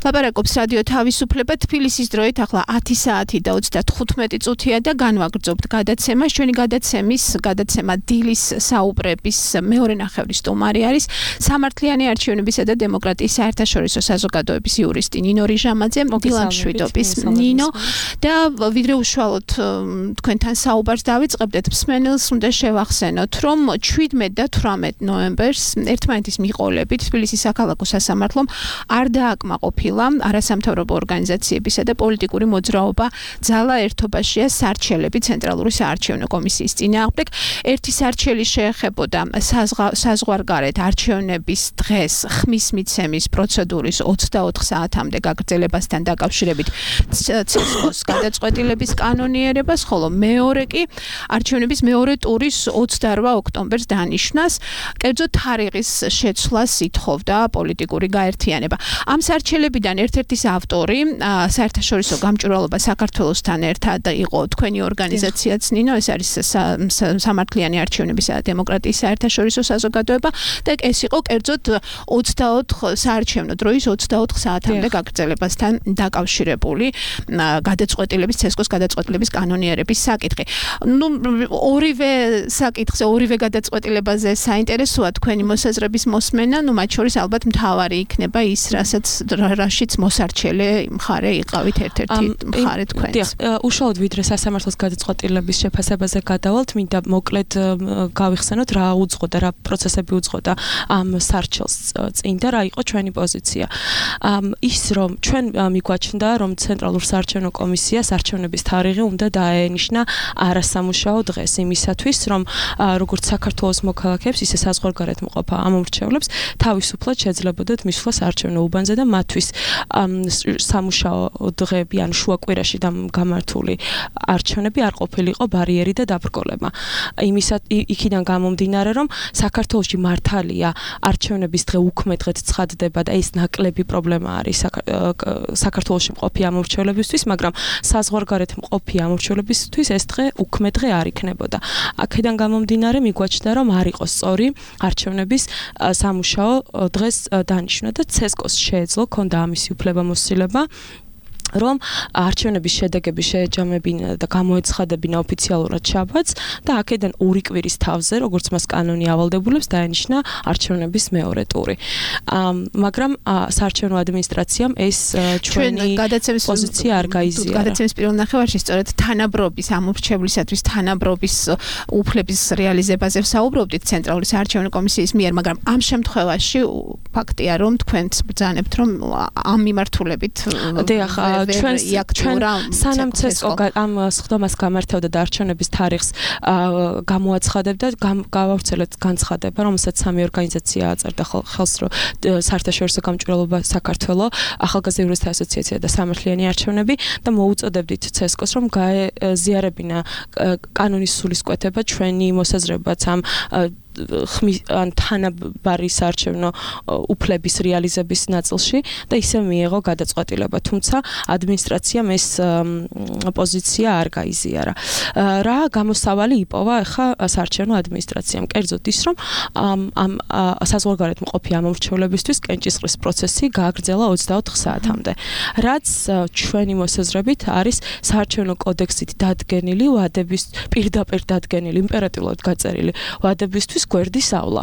ლაპარაკობს რადიო თავისუფლება თბილისის დროით ახლა ათი საათი და ოცდათხუთმეტი წუთია და განვაგრძობთ გადაცემას. ჩვენი გადაცემის გადაცემა დილის საუბრების მეორე ნახევრის სტუმარი არის სამართლიანი არჩევნებისა და დემოკრატიის საერთაშორისო საზოგადოების იურისტი ნინო რიჟამაძე. დილამშვიდობის ნინო და ვიდრე უშუალოდ თქვენთან საუბარს დავიწყებდეთ, მსმენელს უნდა შევახსენოთ, რომ შვიდმეტ და თვრამეტ ნოემბერს ერთმანეთის მიყოლებით თბილისის საქალაქო სასამართლომ არ დააკმაყოფილა არასამთავრობო ორგანიზაციებისა და პოლიტიკური მოძრაობა ძალა ერთობაშია სარჩელები ცენტრალური საარჩევნო კომისიის წინააღმდეგ. ერთი სარჩელი შეეხებოდა საზღვარგარეთ არჩევნების დღეს ხმის მიცემის პროცედურის ოცდაოთხ საათამდე გაგრძელებასთან დაკავშირებით ცესკოს გადაწყვეტილების კანონიერებას, ხოლო მეორე კი არჩევნების მეორე ტურის ოცდარვა ოქტომბერს დანიშნას. კერძო თარიღის შეცვლას ითხოვდა პოლიტიკური გაერთიანება. ამ სარჩელებიდან ერთ-ერთის ავტორი საერთაშორისო გამჭვირვალობა საქართველოსთან ერთად იყო თქვენი ორგანიზაციაც ნინო, ეს არის სამართლიანი არჩევნებისა და დემოკრატიის საერთაშორისო საზოგადოება და ეს იყო კერძოდ ოცდაოთხ საარჩევნო დროის ოცდაოთხ საათამდე გაგრძელებასთან დაკავშირებული გადაწყვეტილების ცესკოს გადაწყვეტილების კანონიერების საკითხი. ნუ ორივე საკითხზე, ორივე გადაწყვეტილებაზე საინტერესოა თქვენი მოსაზრების მოსმენა, ნუ მათ შორის ალბათ მთავარი იქნება ის, რასაც რაშიც მოსარჩელე მხარე იყავით ერთ-ერთი მხარე თქვენს. დიახ, უშუალოდ ვიდრე სასამართლოს გადაწყვეტილების შეფასებაზე გადავალთ, მინდა მოკლედ გავიხსენოთ რა უძღოდა, რა პროცესები უძღოდა ამ სარჩელს წინ და რა იყო ჩვენი პოზიცია. ის რომ ჩვენ მიგვაჩნდა, რომ ცენტრალურ საარჩევნო კომისიას არჩევნების თარიღი უნდა დაენიშნა არასამუშაო დღეს იმისათვის, რომ როგორც საქართველოს მოქალაქეებს, ისე საზღვარგარეთ მყოფ ამომრჩევლებს თავისუფლად შეძლებოდათ მისვლა საარჩევნო უბანზე და მათთვის სამუშაო დღეები ან შუაკვირაში გამართული არჩევნები არ ყოფილიყო ბარიერი და დაბრკოლება. იმისად იქიდან გამომდინარე, რომ საქართველოში მართალია არჩევნების დღე უქმედღეთ ცხადდება და ეს ნაკლები პრობლემა არის საქართველოში მყოფი ამომრჩევლებისთვის, მაგრამ საზღვარგარეთ მყოფი ამომრჩევლებისთვის ეს დღე უქმედ დღე არ იქნებოდა. აქედან გამომდინარე მიგვაჩნდა, რომ არ იყო სწორი არჩევნების სამუშაო დღეს დანიშნა და ცესკოს შეეძლო ქონდა ამისი უფლებამოსილება, რომ არჩევნების შედეგები შეეჯამებინა და გამოეცხადებინა ოფიციალურად შაბათს და აქედან ორი კვირის თავზე, როგორც მას კანონი ავალდებულებს, დაენიშნა არჩევნების მეორე ტური. მაგრამ საარჩევნო ადმინისტრაციამ ეს ჩვენი პოზიცია არ გაიზიარა. გადაცემის პირველ ნახევარში სწორედ თანაბრობის ამორჩევლისათვის თანაბრობის უფლების რეალიზებაზე ვსაუბრობდით ცენტრალური საარჩევნო კომისიის მიერ, მაგრამ ამ შემთხვევაში ფაქტია, რომ თქვენც ბრძანებთ, რომ ამ მიმართულებით დიახ, ჩვენ ჩვენ სანამ ცესკო ამ სხდომას გამართავდა და არჩევნების თარიღს გამოაცხადებდა, გავავრცელეთ განცხადება, რომელსაც სამი ორგანიზაცია აწერდა ხელს, რომ საერთაშორისო გამჭვირვალობა საქართველოს, ახალგაზრდა იურისტთა ასოციაცია და სამართლიანი არჩევნები და მოუწოდებდით ცესკოს, რომ გაეზიარებინა კანონის სულისკვეთება ჩვენი მოსაზრებაც ამ ან თანაბარი საარჩევნო უფლების რეალიზების ნაწილში და ისე მიიღო გადაწყვეტილება, თუმცა ადმინისტრაციამ ეს პოზიცია არ გაიზიარა. რა გამოსავალი იპოვა ახლა საარჩევნო ადმინისტრაციამ? კერძოდ ის, რომ ამ საზღვარგარეთ მყოფი ამომრჩევლებისთვის კენჭისყრის პროცესი გააგრძელა ოცდაოთხ საათამდე, რაც ჩვენი მოსაზრებით არის საარჩევნო კოდექსით დადგენილი ვადების პირდაპირ დადგენილი იმპერატიულად გაწერილი ვადებისთვის გვერდის ავლა.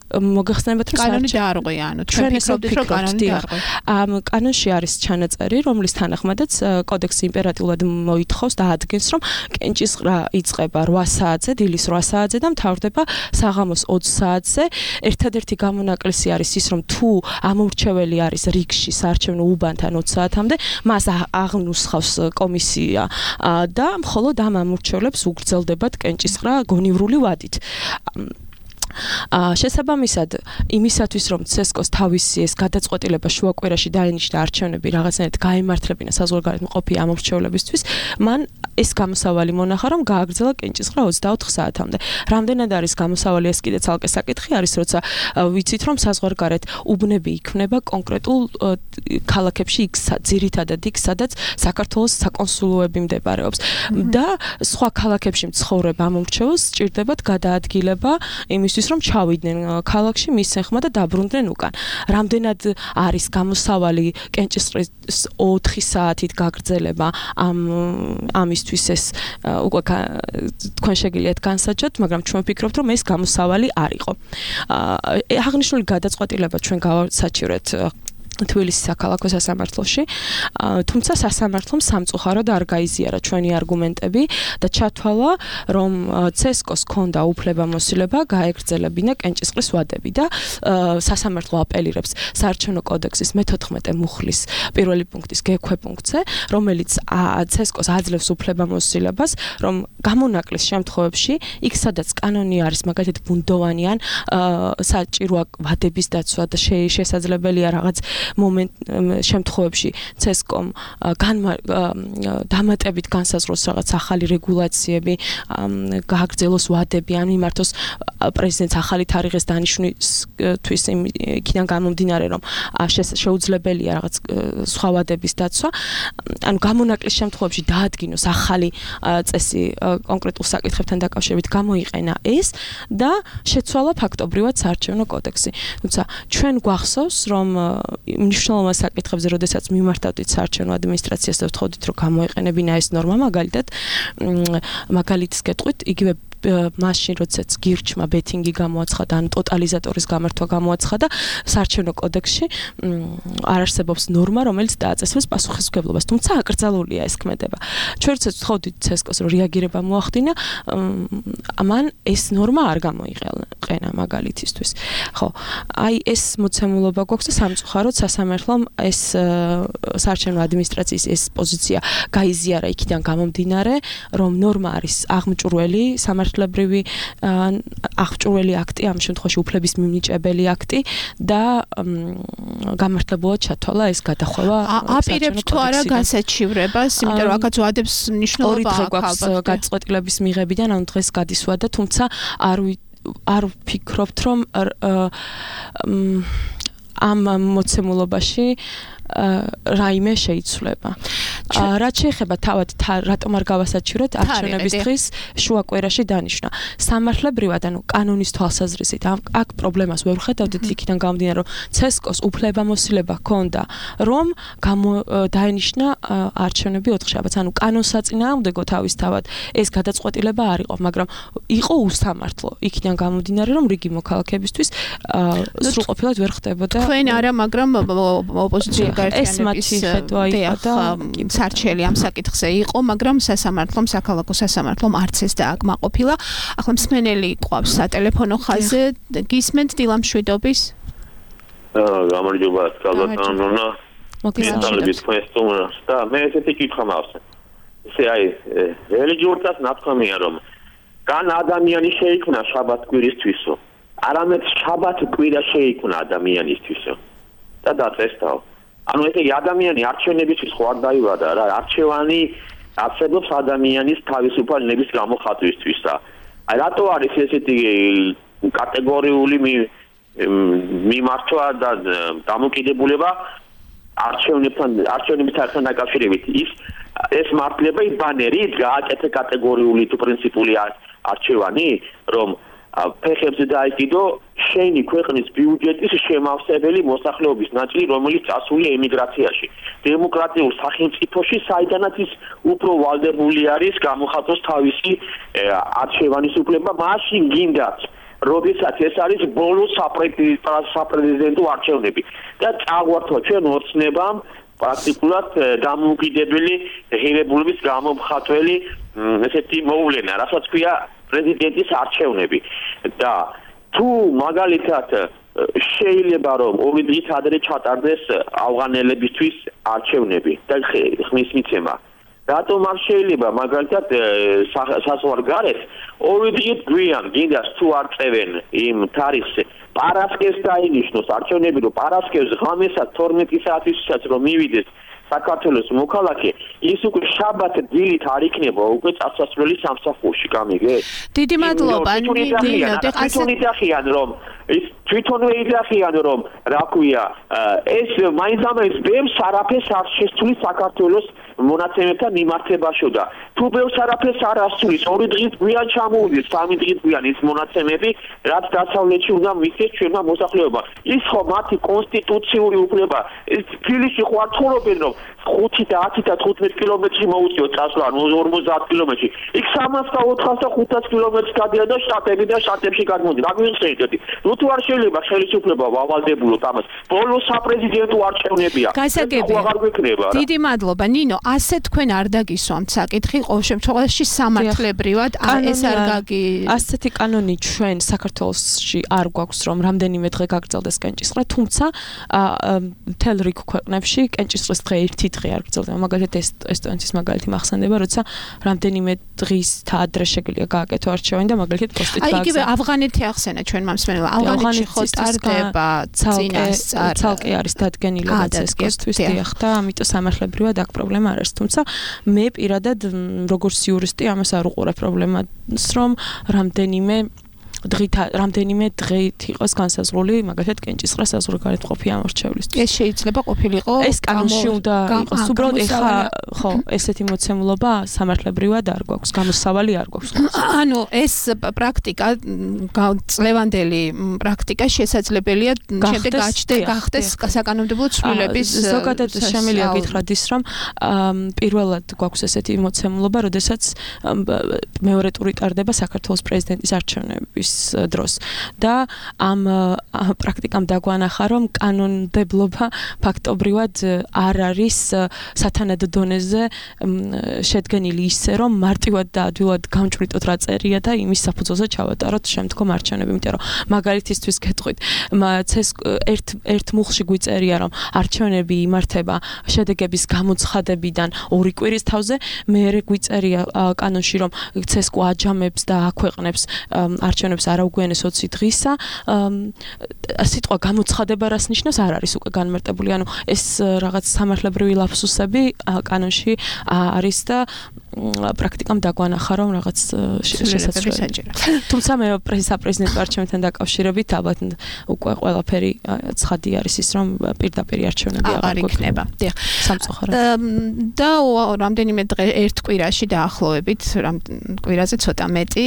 მოგეხსენებათ, რომ კანონი დაარღვია, ანუ ჩვენ ფიქრობთ, რომ კანონი დაარღვია. ამ კანონში არის ჩანაწერი, რომლის თანახმადაც კოდექსი იმპერატიულად მოითხოვს და ადგენს, რომ კენჭისყრა იწყება რვა საათზე, დილის რვა საათზე და მთავრდება საღამოს ოცი საათზე. ერთადერთი გამონაკლისი არის ის, რომ თუ ამომრჩეველი არის რიგში საარჩევნო უბანთან ოცი საათამდე, მას აღნუსხავს კომისია და მხოლოდ ამ ამომრჩევლებს უგრძელდებათ კენჭისყრა გონივრული ვადით. შესაბამისად, იმისათვის, რომ ცესკოს თავისი ეს გადაწყვეტილება შუაკვირაში დაენიშნა არჩევნები რაღაცნაირად გაემართლებინა საზღვარგარეთ მყოფი ამომრჩევლებისთვის, მან ეს გამოსავალი მონახა, რომ გააგრძელა კენჭისყრა ოცდაოთხ საათამდე. რამდენად არის გამოსავალი, ეს კიდე ცალკე საკითხი არის, როცა ვიცით, რომ საზღვარგარეთ უბნები იქმნება კონკრეტულ ქალაქებში, იქ ძირითადად იქ, სადაც საქართველოს საკონსულოები მდებარეობს და სხვა ქალაქებში მცხოვრებ ამომრჩეველს სჭირდებათ გადაადგილება იმის რომ ჩავიდნენ ქალაქში მის ხმა და დაბრუნდნენ უკან. რამდენად არის გამოსავალი კენჭისყრის ოთხი საათით გაგრძელება ამ ამისთვის ეს უკვე თქვენ შეგიძლიათ განსაჯოთ, მაგრამ ჩვენ ვფიქრობთ, რომ ეს გამოსავალი არ იყო. აღნიშნული გადაწყვეტილება ჩვენ გავასაჩივრეთ თბილისის საქალაქო სასამართლოში, თუმცა სასამართლომ სამწუხაროდ არ გაიზიარა ჩვენი არგუმენტები და ჩათვალა, რომ ცესკოს ჰქონდა უფლებამოსილება გაეგრძელებინა კენჭისყრის ვადები და სასამართლო აპელირებს საარჩევნო კოდექსის მეთოთხმეტე მუხლის პირველი პუნქტის გექვე პუნქტზე, რომელიც ცესკოს აძლევს უფლებამოსილებას, რომ გამონაკლის შემთხვევებში, იქ სადაც კანონი არის, მაგალითად ბუნდოვანი ან საჭიროა ვადების დაცვა და შესაძლებელია რაღაც მომენტ შემთხვევებში ცესკომ დამატებით განსაზღვროს რაღაც ახალი რეგულაციები, გააგრძელოს ვადები, ან მიმართოს პრეზიდენტს ახალი თარიღის დანიშვნისთვის იქიდან გამომდინარე, რომ შეუძლებელია რაღაც სხვა ვადების დაცვა, ანუ გამონაკლის შემთხვევებში დაადგინოს ახალი წესი კონკრეტულ საკითხებთან დაკავშირებით გამოიყენა ეს და შეცვალა ფაქტობრივად საარჩევნო კოდექსი. თუმცა ჩვენ გვახსოვს, რომ მნიშვნელოვან საკითხებზე, როდესაც მიმართავდით საარჩევნო ადმინისტრაციას და ვთხოვდით, რომ გამოიყენებინა ეს ნორმა, მაგალითად, მაგალითს გეტყვით, იგივე მაშინ, როდესაც გირჩმა ბეთინგი გამოაცხადა, ან ტოტალიზატორის გამართვა გამოაცხადა, საარჩევნო კოდექსში არ არსებობს ნორმა, რომელიც დააწესებს პასუხისმგებლობას, თუმცა აკრძალულია ეს ქმედება. ჩვენ როდესაც ვთხოვდით ცესკოს, რომ რეაგირება მოახდინა, ამან ეს ნორმა არ გამოიყენა მაგალითისთვის. ხო, აი ეს მოცემულობა გვაქვს და სამწუხაროდ სასამართლომ ეს საარჩევნო ადმინისტრაციის ეს პოზიცია გაიზიარა იქიდან გამომდინარე, რომ ნორმა არის აღმჭურველი სამართლებრივი აღჭურველი აქტი, ამ შემთხვევაში უფლების მიმნიჭებელი აქტი და გამართლებულად ჩათვალა ეს გადახვევა. აპირებთ თუ არა განსაჩივრებას, იმიტომ რომ აქაც ვადებს მნიშვნელობა აქვს გადაწყვეტილების მიღებიდან, ანუ დღეს გადისვადა, თუმცა არ არ ვფიქრობთ, რომ ამ მოცემულობაში რაიმე შეიცვლება. რაც შეეხება თავად რატომ არ გავასაჩივრეთ არჩევნების დღის შუაკვირაში დანიშნა. სამართლებრივად, ანუ კანონის თვალსაზრისით, აქ პრობლემას ვერ ვხედავდით იქიდან გამომდინარე, რომ ცესკოს უფლებამოსილება ჰქონდა, რომ დაენიშნა არჩევნები ოთხშაბათს. ანუ კანონსაწინააღმდეგო თავისთავად ეს გადაწყვეტილება არ იყო, მაგრამ იყო უსამართლო. იქიდან გამომდინარე, რომ რიგი მოქალაქეებისთვის სრულყოფილად ვერ ხდებოდა. თქვენ არა, მაგრამ ოპოზიცია ეს მათი ხედვა იყო და სარჩელი ამ საკითხზე იყო, მაგრამ სასამართლომ, საქალაქო სასამართლომ არც ეს დააკმაყოფილა. ახლა მსმენელი ყავს სატელეფონო ხაზზე, გისმენთ დილამშვიდობის? გამარჯობა, καλათანონა. მოგესალმებით თქვენ სტუმარს და მე ესეთი კითხვა მაქვს. ესე აი, რელიგიურსაც ნათქვამია, რომ კან ადამიანი შეიქმნა შაბათ კვირისთვისო, არამედ შაბათ კვირა შეიქმნა ადამიანისთვისო. და დაწესდაო. ანუ ესე იგი ადამიანი არჩევნებისთვის ხო არ დაიბადა რა, არჩევანი არსებობს ადამიანის თავისუფალ ნების გამოხატვისთვის და აი რატო არის ესეთი კატეგორიული მიმართვა და დამოკიდებულება არჩევნებთან არჩევნებთან დაკავშირებით ის ეს მართლება ის ბანერი გააკეთე კატეგორიული თუ პრინციპული არჩევანი რომ ფეხებზე დაიკიდო შენი ქვეყნის ბიუჯეტის შემავსებელი მოსახლეობის ნაწილი რომელიც წასულია ემიგრაციაში დემოკრატიულ სახელმწიფოში საიდანაც ის უფრო ვალდებული არის გამოხატოს თავისი არჩევანის უფლება მაშინ გინდათ როდესაც ეს არის ბოლო საპრეზიდენტო არჩევნები და წაგვართვა ჩვენ ოცნებამ პრაქტიკულად დამოუკიდებელი ღირებულების გამომხატველი ესეთი მოვლენა რასაც ქვია პრეზიდენტის არჩევნები და თუ მაგალითად შეიძლება რომ ორი დღით ადრე ჩატარდეს ავღანელებისთვის არჩევნები და ხმის მიცემა რატომ არ შეიძლება მაგალითად საზღვარგარეთ ორი დღით გვიან გინდას თუ არ წევენ იმ თარიღზე პარასკევს დაინიშნოს არჩევნები რომ პარასკევს ღამესად თორმეტი საათისაცაც რომ მივიდეს საქართველოს მოქალაქე ის უკვე შაბათ დილით არ იქნება უკვე წასასვლელი სამსახურში გამიგე დიდი მადლობა ნინო თვითონ იძახიან რომ ის თვითონ იძახიან რომ რა ქვია ეს მაინც ბევრს არაფერს არ შესწulis საქართველოს მონაცემებთან მიმართებაში და თუ ბევრს არაფერს არ ასწulis ორი დღით გვიან ჩამოვიდეს სამი დღით გვიან ის მონაცემები რაც დასავლეთში უნდა მისცეს ჩვენმა მოსახლეობამ ის ხო მათი კონსტიტუციური უფლება ეს თბილისში ხო არ ცხოვრობენ რომ ხუთი და ათი და თხუთმეტი კილომეტრი მოუწიოთ წასვლა ორმოცდაათ კილომეტრი იქ სამას და ოთხას და ხუთას კილომეტრს გადიან და შტატები და შტატებში გადმოდი რა გვიხსენებთ ნუ თუ არ შეიძლება ხელისუფლება ვავალდებულოთ ამას ბოლო საპრეზიდენტო არჩევნებია გასაგებია დიდი მადლობა ნინო ასე თქვენ არ დაგისვამთ საკითხი ყოველ შემთხვევაში სამართლებრივად ეს არ გაგი ასეთი კანონი ჩვენ საქართველოსში არ გვაქვს რომ რამდენიმე დღე გაგრძელდეს კენჭისყრა თუმცა მთელ რიგ ქვეყნებში კენჭისყრის დღე ერთი დღე არ გრძელდება მაგალითად ესტონეთის მაგალითი მახსენდება როცა რამდენიმე დღის ადრე შეგიძლია გააკეთო არჩევანი და მაგალითად პოსტით გააგზავნა. აი იგივე ავღანეთი ახსენა ჩვენ მომსმენელმა ავღანეთში ხო ტარდება წინასწარ ცალკე არის დადგენილი რაც ეს კესთვის დიახ და ამიტომ სამართლებრივად აქ პრობლემა არ არის თუმცა მე პირადად როგორც იურისტი ამას არ უყურებ პრობლემას რომ რამდენიმე დღით რამდენიმე დღით იყოს განსაზღვრული მაგალითად კენჭისყრა საზღვარგარეთ ყოფი ამორჩევლისთვის. ეს შეიძლება ყოფილიყო ეს კანონში უნდა იყოს უბრალოდ ეხა ხო ესეთი მოცემულობა სამართლებრივად არ გვაქვს გამოსავალი არ გვაქვს. ანუ ეს პრაქტიკა წლევანდელი პრაქტიკა შესაძლებელია შემდეგ გაჩნდეს გახდეს საკანონმდებლო ცვლილების ზოგადად შემიძლია გითხრათ ის რომ პირველად გვაქვს ესეთი მოცემულობა როდესაც მეორე ტური ტარდება საქართველოს პრეზიდენტის არჩევნების დროს და ამ პრაქტიკამ დაგვანახა რომ კანონმდებლობა ფაქტობრივად არ არის სათანადო დონეზე შედგენილი ისე რომ მარტივად და ადვილად გამჭვრიტოთ რა წერია და იმის საფუძველზე ჩავატაროთ შემდგომ არჩევნები იმიტომ რომ მაგალითისთვის გეტყვით ცეს ერთ ერთ მუხლში გვიწერია რომ არჩევნები იმართება შედეგების გამოცხადებიდან ორი კვირის თავზე მეერე გვიწერია კანონში რომ ცესკო აჯამებს და აქვეყნებს არჩევნებს არაუგვიანეს ოცი დღისა სიტყვა გამოცხადება რას ნიშნავს არ არის უკვე განმარტებული ანუ ეს რაღაც სამართლებრივი ლაფსუსები კანონში არის და პრაქტიკამ დაგვანახა რომ რაღაც შესაძლებელია თუმცა მე პრეზიდენტის არჩევნებთან დაკავშირებით ალბათ უკვე ყველაფერი ცხადი არის ის რომ პირდაპირ არჩევნები აღარ იქნება დიახ სამწუხაროდ და რამდენიმე დღე ერთ კვირაში დაახლოებით კვირაზე ცოტა მეტი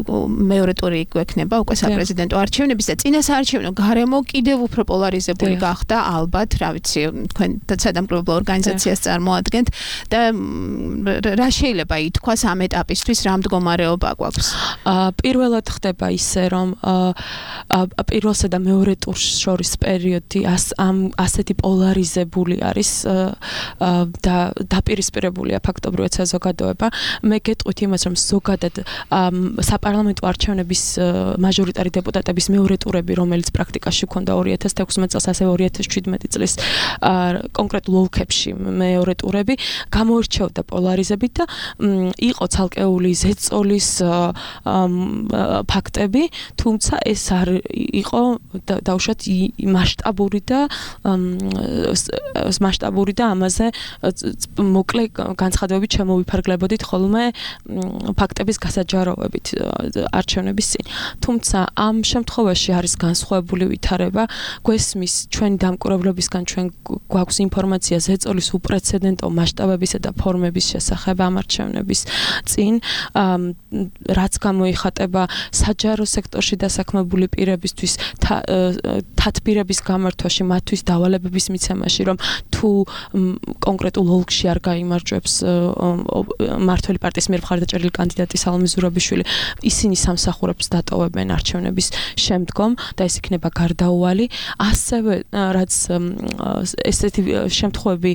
მეორე ტური გვექნება უკვე საპრეზიდენტო არჩევნების და წინა საარჩევნო გარემო კიდევ უფრო პოლარიზებული გახდა ალბათ რა ვიცი თქვენ სადამკვირვებლო ორგანიზაციას წარმოადგენთ და რა შეიძლება ითქვას ამ ეტაპისთვის რა მდგომარეობა გვაქვს პირველად ხდება ისე რომ პირველსა და მეორე ტურს შორის პერიოდი ამ ასეთი პოლარიზებული არის და დაპირისპირებულია ფაქტობრივად საზოგადოება მე გეტყვით იმას რომ ზოგადად საპარლამენტო არჩევნების მაჟორიტარი დეპუტატების მეორე ტურები რომელიც პრაქტიკაში ჰქონდა ორი ათას თექვსმეტ წელს ასევე ორი ათას შვიდმეტი წლის კონკრეტულ ოლქებში მეორე ტურები გამოირჩეოდა პოლარიზებით და იყო ცალკეული ზეწოლის ფაქტები, თუმცა ეს არ იყო დაუშვათ მასშტაბური და მასშტაბური და ამაზე მოკლე განცხადებებით შემოვიფარგლებოდით ხოლმე ფაქტების გასაჯაროვებით არჩევნების წინ. თუმცა ამ შემთხვევაში არის განსხვავებული ვითარება, გვესმის ჩვენი დამკვირვებლებისგან ჩვენ გვაქვს ინფორმაცია ზეწოლის უპრეცედენტო მასშტაბებისა და ფორმების შესახებ ამ არჩევნების წინ, რაც გამოიხატება საჯარო სექტორში დასაქმებული პირებისთვის თათბირების გამართვაში, მათთვის დავალებების მიცემაში, რომ თუ კონკრეტულ ოლქში არ გაიმარჯვებს მმართველი პარტიის მიერ მხარდაჭერილი კანდიდატი სალომე ზურაბიშვილი, ისინი სამსახურებს დატოვებენ არჩევნების შემდგომ და ეს იქნება გარდაუვალი. ასევე რაც ესეთი შემთხვევები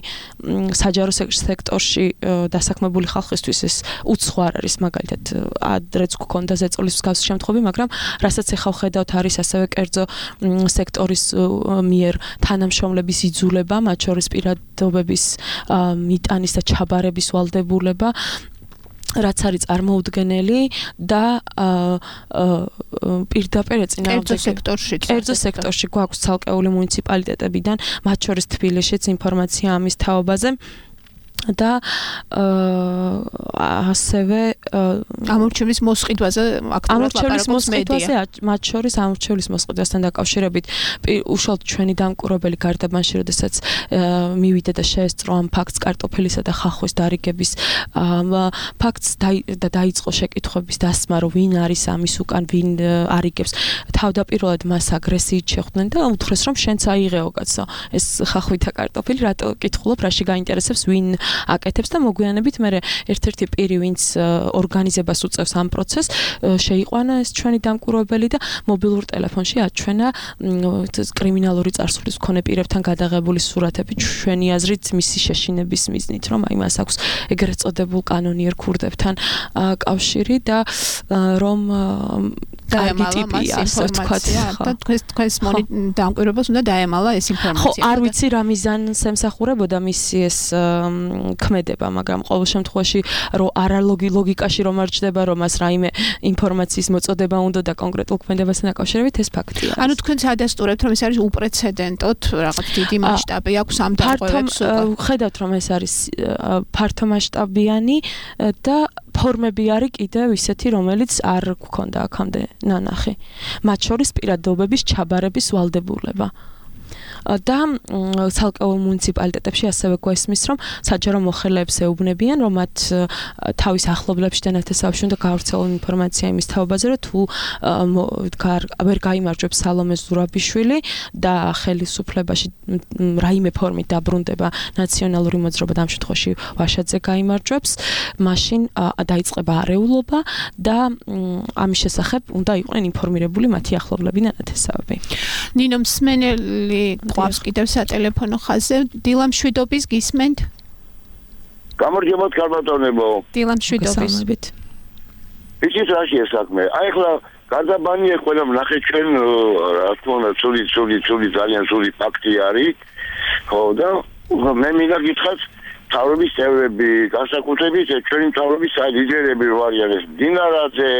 საჯარო სექტორში დასაქმებული ხალხისთვის ეს უცხო არ არის, მაგალითად ადრეც გქონდა ზეწოლის მსგავსი შემთხვევები, მაგრამ რასაც ახლა ვხედავთ არის ასევე კერძო სექტორის მიერ თანამშრომლების იძულება, მათ შორის პირადობების მიტანის და ჩაბარების ვალდებულება, რაც არის წარმოუდგენელი და პირდაპირ ეწინააღმდეგება კერძო სექტორში. კერძო სექტორში გვაქვს ცალკეული მუნიციპალიტეტებიდან, მათ შორის თბილისშიც ინფორმაცია ამის თაობაზე. და ასევე ამორჩევლის მოსყიდვაზე აქტიურად ლაპარაკობს მედია. მათ შორის ამორჩევლის მოსყიდვასთან დაკავშირებით უშუალოდ ჩვენი დამკვირვებელი გარდაბანში, როდესაც მივიდა და შეესწრო ამ ფაქტს კარტოფილისა და ხახვის დარიგების ფაქტს და დაიწყო შეკითხვების დასმა, რომ ვინ არის ამის უკან, ვინ არიგებს. თავდაპირველად მას აგრესიით შეხვდნენ და უთხრეს, რომ შენც აიღეო კაცო, ეს ხახვი და კარტოფილი, რატო კითხულობ, რაში გაინტერესებს, ვინ აკეთებს და მოგვიანებით მე ერთ-ერთი პირი, ვინც ორგანიზებას უწევს ამ პროცესს, შეიყვანა ეს ჩვენი დამკვირვებელი და მობილურ ტელეფონში აჩვენა კრიმინალური წარსულის მქონე პირებთან გადაღებული სურათები, ჩვენი აზრით მისი შეშინების მიზნით, რომ აი მას აქვს ეგრეთ წოდებულ კანონიერ ქურდებთან კავშირი და რომ დაემალა მას ინფორმაცია და თქვენს თქვენს დამკვირვებელს უნდა დაემალა ეს ინფორმაცია. ხო, არ ვიცი რა მიზანს ემსახურებოდა მისი ეს ქმედება, მაგრამ ყოველ შემთხვევაში რომ არალოგი ლოგიკაში რომ არ ჩდება, რომ მას რაიმე ინფორმაციის მოწოდება უნდა და კონკრეტულ ქმედებასთან დაკავშირებით ეს ფაქტია. ანუ თქვენ ადასტურებთ, რომ ეს არის უპრეცედენტოდ რაღაც დიდი მასშტაბი აქვს ამ დაკავებებს. ხედავთ, რომ ეს არის ფართო მასშტაბიანი და ფორმები არის კიდევ ისეთი, რომელიც არ გქონდა აქამდე ნანახი. მათ შორის პირადობების ჩაბარების ვალდებულება. და ცალკეულ მუნიციპალიტეტებში ასევე გვესმის, რომ საჯარო მოხელეებს ეუბნებიან, რომ მათ თავის ახლობლებში და ნათესავებში უნდა გავრცელონ ინფორმაცია იმის თაობაზე, რომ თუ ვერ გაიმარჯვებს სალომე ზურაბიშვილი და ხელისუფლებაში რაიმე ფორმით დაბრუნდება ნაციონალური მოძრაობა, ამ შემთხვევაში ვაშაძე გაიმარჯვებს, მაშინ დაიწყება არეულობა და ამის შესახებ უნდა იყვნენ ინფორმირებული მათი ახლობლები და ნათესავები. ნინო მსმენელი გვაქვს კიდევ სატელეფონო ხაზზე. დილა მშვიდობის გისმენთ? გამარჯობათ კარბატონებო. დილა მშვიდობის. იცით რაშია საქმე? აი ახლა გარდაბანია ყველა ნახე ჩვენ რა თქმა უნდა ცული ცული ცული ძალიან ცული ფაქტი არის. ხო და მე მინდა გითხრათ თავრობის წევრები, განსაკუთრებით ჩვენი თავრობის ლიდერები ვარიან ეს დინარაძე,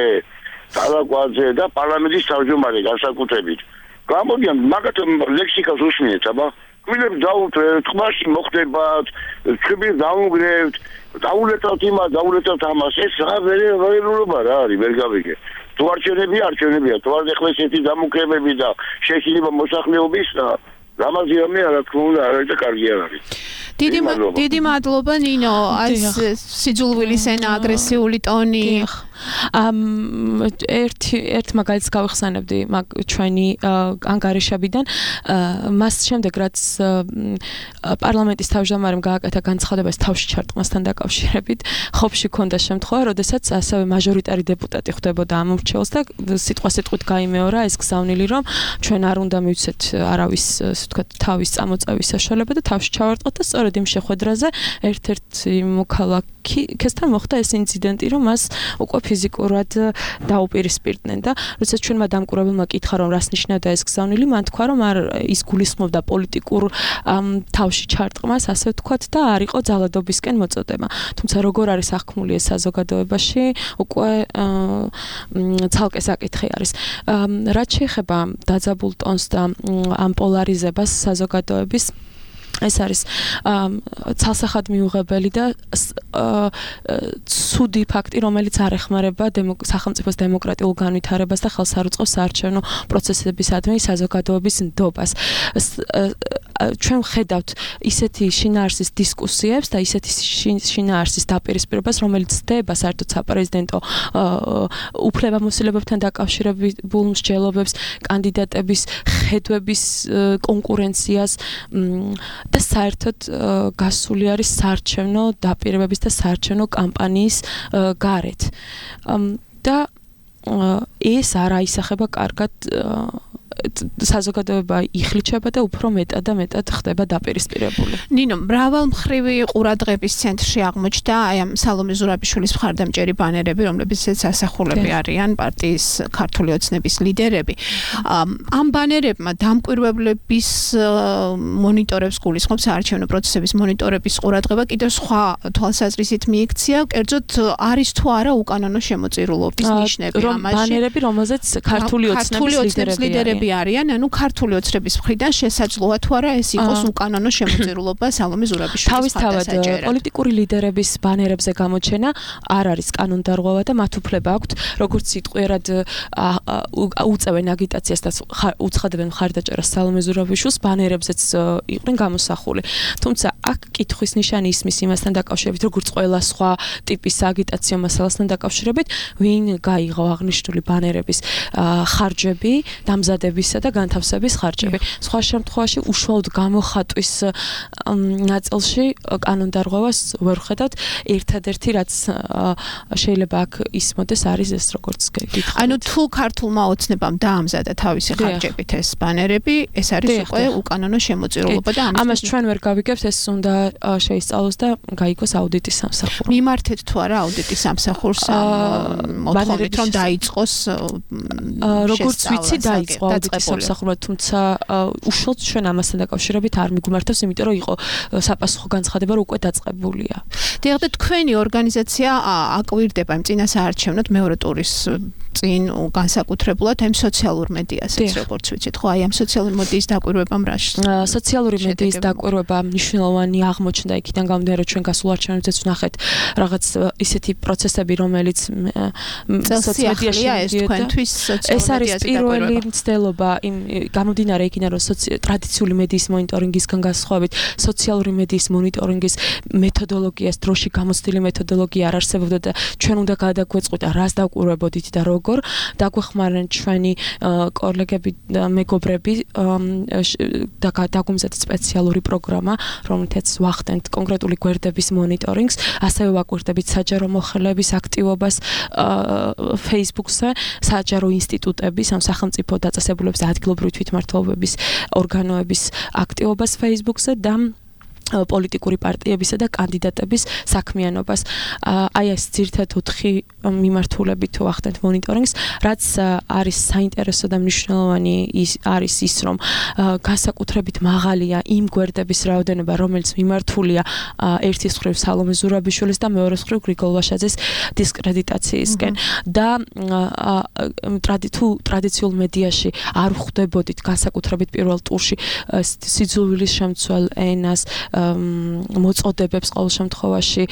ტალაკვაძე და პარლამენტის თავმჯდომარე განსაკუთრებით. გამოდიან მაგათ ლექსიკას უსმენთ, აბა გვინებს დაუტრეთ, ხმაში მოხდებათ, ჩვენი დაუნგრევთ, დაულეთავთ იმას, დაულეთავთ ამას, ეს რა ვერერულობა რა არის, ვერ გავიგე. თუ არჩევნები არჩევნებია, თუ არ ეხლა ესეთი დამოკრებები და შეშინება მოსახლეობის და რამაზია მე რა თქმა უნდა არ არის და კარგი არ არის. დიდი დიდი მადლობა ნინო, ეს სიძულვილის ენა, აგრესიული ტონი. ამ ერთი ერთ მაგალითს გავიხსენებდი მაგ ჩვენი ანგარიშებიდან, მას შემდეგ რაც პარლამენტის თავმჯდომარემ გააკეთა განცხადება თავში ჩარტყმასთან დაკავშირებით, ხობში ქონდა შემთხვევა, როდესაც ასევე მაჟორიტარი დეპუტატი ხვდებოდა ამ მრჩეველს და სიტყვა-სიტყვით გაიმეორა ეს გზავნილი, რომ ჩვენ არ უნდა მივცეთ არავის, ასე ვთქვათ, თავის წამოწევის საშუალება და თავში ჩავარტყოთ და სწორედ იმ შეხვედრაზე ერთ-ერთ მოქალაქესთან მოხდა ეს ინციდენტი, რომ მას უკვე ფიზიკურად დაუპირისპირდნენ და როდესაც ჩვენმა დამკვირვებელმა კითხა რომ რას ნიშნავდა ეს გზავნილი, მან თქვა რომ არ ის გულისხმობდა პოლიტიკურ თავში ჩარტყმას, ასე ვთქვათ და არ იყო ძალადობისკენ მოწოდება. თუმცა როგორ არის აღქმული ეს საზოგადოებაში, უკვე ცალკე საკითხი არის. რაც შეეხება დაძაბულ ტონს და ამ პოლარიზებას საზოგადოების, ეს არის ცალსახად მიუღებელი და ცუდი ფაქტი, რომელიც არ ეხმარება სახელმწიფოს დემოკრატიულ განვითარებას და ხელს არ უწყობს საარჩევნო პროცესებისადმი საზოგადოების ნდობას. ჩვენ ვხედავთ ისეთი შინაარსის დისკუსიებს და ისეთი შინაარსის დაპირისპირებას, რომელიც ხდება საერთოდ საპრეზიდენტო უფლებამოსილებებთან დაკავშირებულ მსჯელობებს, კანდიდატების ხედვების კონკურენციას და საერთოდ გასული არის საარჩევნო დაპირებების და საარჩევნო კამპანიის გარეთ. და ეს არ აისახება კარგად საზოგადოება იხლიჩება და უფრო მეტად და მეტად ხდება დაპირისპირებული. ნინო, მრავალმხრივი ყურადღების ცენტრში აღმოჩნდა აი ამ სალომე ზურაბიშვილის მხარდამჭერი ბანერები, რომლებიცაც ასახულები არიან პარტიის ქართული ოცნების ლიდერები. ამ ბანერებმა დამკვირვებლების მონიტორებს გულისხმობს საარჩევნო პროცესების მონიტორების ყურადღება კიდევ სხვა თვალსაზრისით მიიქცია, კერძოდ არის თუ არა უკანონო შემოწირულობის ნიშნები ამაში. ბანერები, რომელზეც ქართული ოცნების ლიდერები არიან, ანუ ქართული ოცნების მხრიდან შესაძლოა თუ არა ეს იყოს უკანონო შემოწირულობა სალომე ზურაბიშვილის მხარდასაჭერად. პოლიტიკური ლიდერების ბანერებზე გამოჩენა არ არის კანონდარღვევა და მათ უფლება აქვთ, როგორც სიტყვიერად უწევენ აგიტაციას და უცხადებენ მხარდაჭერას სალომე ზურაბიშვილს, ბანერებზეც იყვნენ გამოსახული. თუმცა აქ კითხვის ნიშანი ისმის იმასთან დაკავშირებით, როგორც ყველა სხვა ტიპის აგიტაციო მასალასთან დაკავშირებით, ვინ გაიღო აღნიშნული ბანერების ხარჯები, დამზადებისა და განთავსების ხარჯები. სხვა შემთხვევაში უშუალოდ გამოხატვის ნაწილში კანონდარღვევას ვერ ხედავთ. ერთადერთი რაც შეიძლება აქ ისმოდეს არის ეს, როგორც გითხარით. ანუ თუ ქართულმა ოცნებამ დაამზადა თავისი ხარჯებით ეს ბანერები, ეს არის უკვე უკანონო შემოწირულობა და ამას ჩვენ ვერ გავიგებთ, ეს უნდა შეისწავლოს და გაიგოს აუდიტის სამსახური. მიმართეთ თუ არა აუდიტის სამსახურს მოთხოვნით რომ დაიწყოს როგორც ვიცი დაიწყო აუდიტის სამსახურმა, თუმცა უშუალოდ ჩვენ ამასთან დაკავშირებით არ მიგვმართავს, იმიტომ რომ იყო საპასუხო განცხადება რომ უკვე დაწყებულია. დიახ, და თქვენი ორგანიზაცია აკვირდება იმ წინასაარჩევნოდ მეორე ტურის წინ განსაკუთრებულად ამ სოციალურ მედიასაც, როგორც ვიცით, ხო, აი ამ სოციალური მედიის დაკვირვებამ რა შედეგები? სოციალური მედიის დაკვირვება მნიშვნელოვანი აღმოჩნდა იქიდან გამომდინარე, რომ ჩვენ გასულ არჩევნებზეც ვნახეთ რაღაც ისეთი პროცესები, რომელიც სოციალურია ეს თქვენთვის სოციალური ეს არის პირველი მცდელობა იმ გამომდინარე იქიდან, რომ ტრადიციული მედიის მონიტორინგისგან განსხვავებით, სოციალური მედიის მონიტორინგის მეთოდოლოგიას, დროში გამოცდილი მეთოდოლოგია არ არსებობდა და ჩვენ უნდა გადაგვეწყოთ და რას დავკვირვებოდით და როგორ დაგვეხმარნენ ჩვენი კოლეგები და მეგობრები და დაგვიმზადეთ სპეციალური პროგრამა, რომელთაც ვახდენთ კონკრეტული გვერდების მონიტორინგს, ასევე ვაკვირდებით საჯარო მოხელეების აქტივობას Facebook-ზე, საჯარო ინსტიტუტების, ამ სახელმწიფო დაწესებულების და ადგილობრივი თვითმმართველობების ორგანოების აქტივობას Facebook-ზე და პოლიტიკური პარტიებისა და კანდიდატების საქმიანობას. აი ეს ძირითადად ოთხი მიმართულებით თუ ახდენთ მონიტორინგს, რაც არის საინტერესო და მნიშვნელოვანი ის არის ის, რომ განსაკუთრებით მაღალია იმ გვერდების რაოდენობა, რომელიც მიმართულია ერთის მხრივ სალომე ზურაბიშვილის და მეორეს მხრივ გრიგოლ ვაშაძეს დისკრედიტაციისკენ და თუ ტრადიციულ მედიაში არ ხვდებოდით განსაკუთრებით პირველ ტურში სიძულვილის შემცველ ენას მოწოდებებს ყოველ შემთხვევაში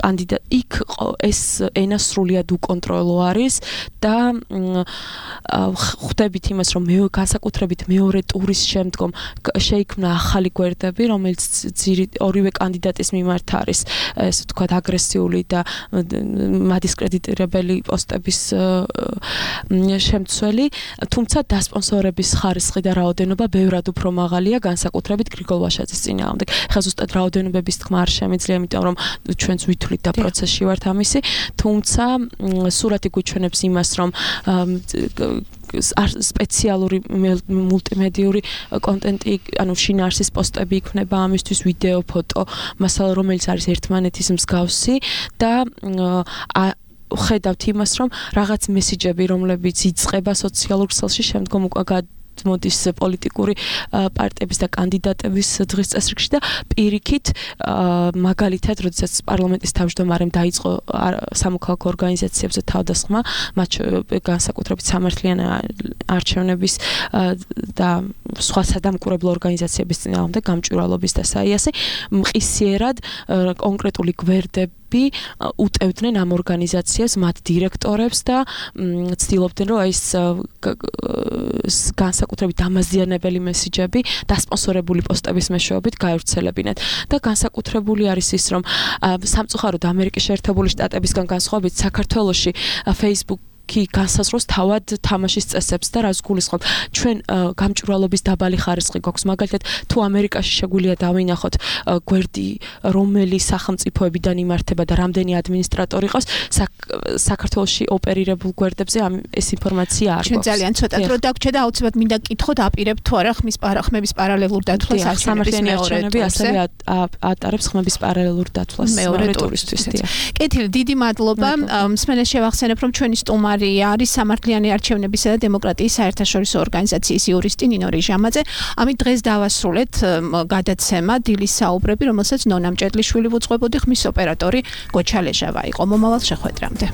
კანდიდატ იქ ეს ენა სრულიად უკონტროლო არის და ხვდებით იმას, რომ მე განსაკუთრებით მეორე ტურის შემდგომ შეიქმნა ახალი გვერდები, რომელიც ორივე კანდიდატის მიმართ არის, ესე ვთქვათ, აგრესიული და მადისკრედიტირებელი პოსტების შემცველი, თუმცა დასპონსორების ხარისხი და რაოდენობა ბევრად უფრო მაღალია განსაკუთრებით გრიგოლ ვაშაძის წინააღმდეგ. ხა ზუსტად რაოდენობების თქმა არ შემიძლია, იმიტომ რომ ჩვენც ვითვლით და პროცესში ვართ ამისი, თუმცა სურათი გვიჩვენებს იმას, რომ სპეციალური მულტიმედიური კონტენტი, ანუ შინაარსის პოსტები იქნება ამისთვის, ვიდეო, ფოტო, მასალა, რომელიც არის ერთმანეთის მსგავსი და ხედავთ იმას, რომ რაღაც მესიჯები, რომლებიც იწყება სოციალურ ქსელში, შემდგომ უკვე მოდის პოლიტიკური პარტიების და კანდიდატების დღის წესრიგში და პირიქით მაგალითად, როდესაც პარლამენტის თავმჯდომარემ დაიწყო სამოქალაქო ორგანიზაციებზე თავდასხმა, მათ განსაკუთრებით სამართლიანი არჩევნების და სხვა სადამკვირვებლო ორგანიზაციების წინააღმდეგ გამჭვირვალობის და საიასე მყისიერად კონკრეტული გვერდები უტევდნენ ამ ორგანიზაციებს, მათ დირექტორებს და ცდილობდნენ, რომ ეს განსაკუთრებით დამაზიანებელი მესიჯები დასპონსორებული პოსტების მეშვეობით გაევრცელებინათ და განსაკუთრებული არის ის, რომ სამწუხაროდ ამერიკის შეერთებული შტატებისგან განსხვავებით საქართველოში Facebook კი განსაზღვროს თავად თამაშის წესებს და რაც გულისხმობ ჩვენ გამჭვირვალობის დაბალი ხარისხი გვაქვს მაგალითად თუ ამერიკაში შეგვიძლია დავინახოთ გვერდი რომელი სახელმწიფოებიდან იმართება და რამდენი ადმინისტრატორი ყავს საქართველოში ოპერირებულ გვერდებზე ამ ეს ინფორმაცია არ გვაქვს ჩვენ ძალიან ცოტა დრო დაგვრჩა და აუცილებლად მინდა კითხოთ აპირებთ თუ არა ხმის ხმების პარალელურ დათვლას სამართლიანი არჩევნები ასევე ატარებს ხმების პარალელურ დათვლას მეორე ტურისთვის კეთილი დიდი მადლობა მსმენელს შევახსენებ რომ ჩვენი სტუმარი არის სამართლიანი არჩევნებისა და დემოკრატიის საერთაშორისო ორგანიზაციის იურისტი ნინო რიჟამაძე. ამით დღეს დავასრულეთ გადაცემა დილის საუბრები, რომელსაც ნონა მჭედლიშვილი უძღვებოდი, ხმის ოპერატორი გოჩა ლეჟავა იყო. მომავალ შეხვედრამდე.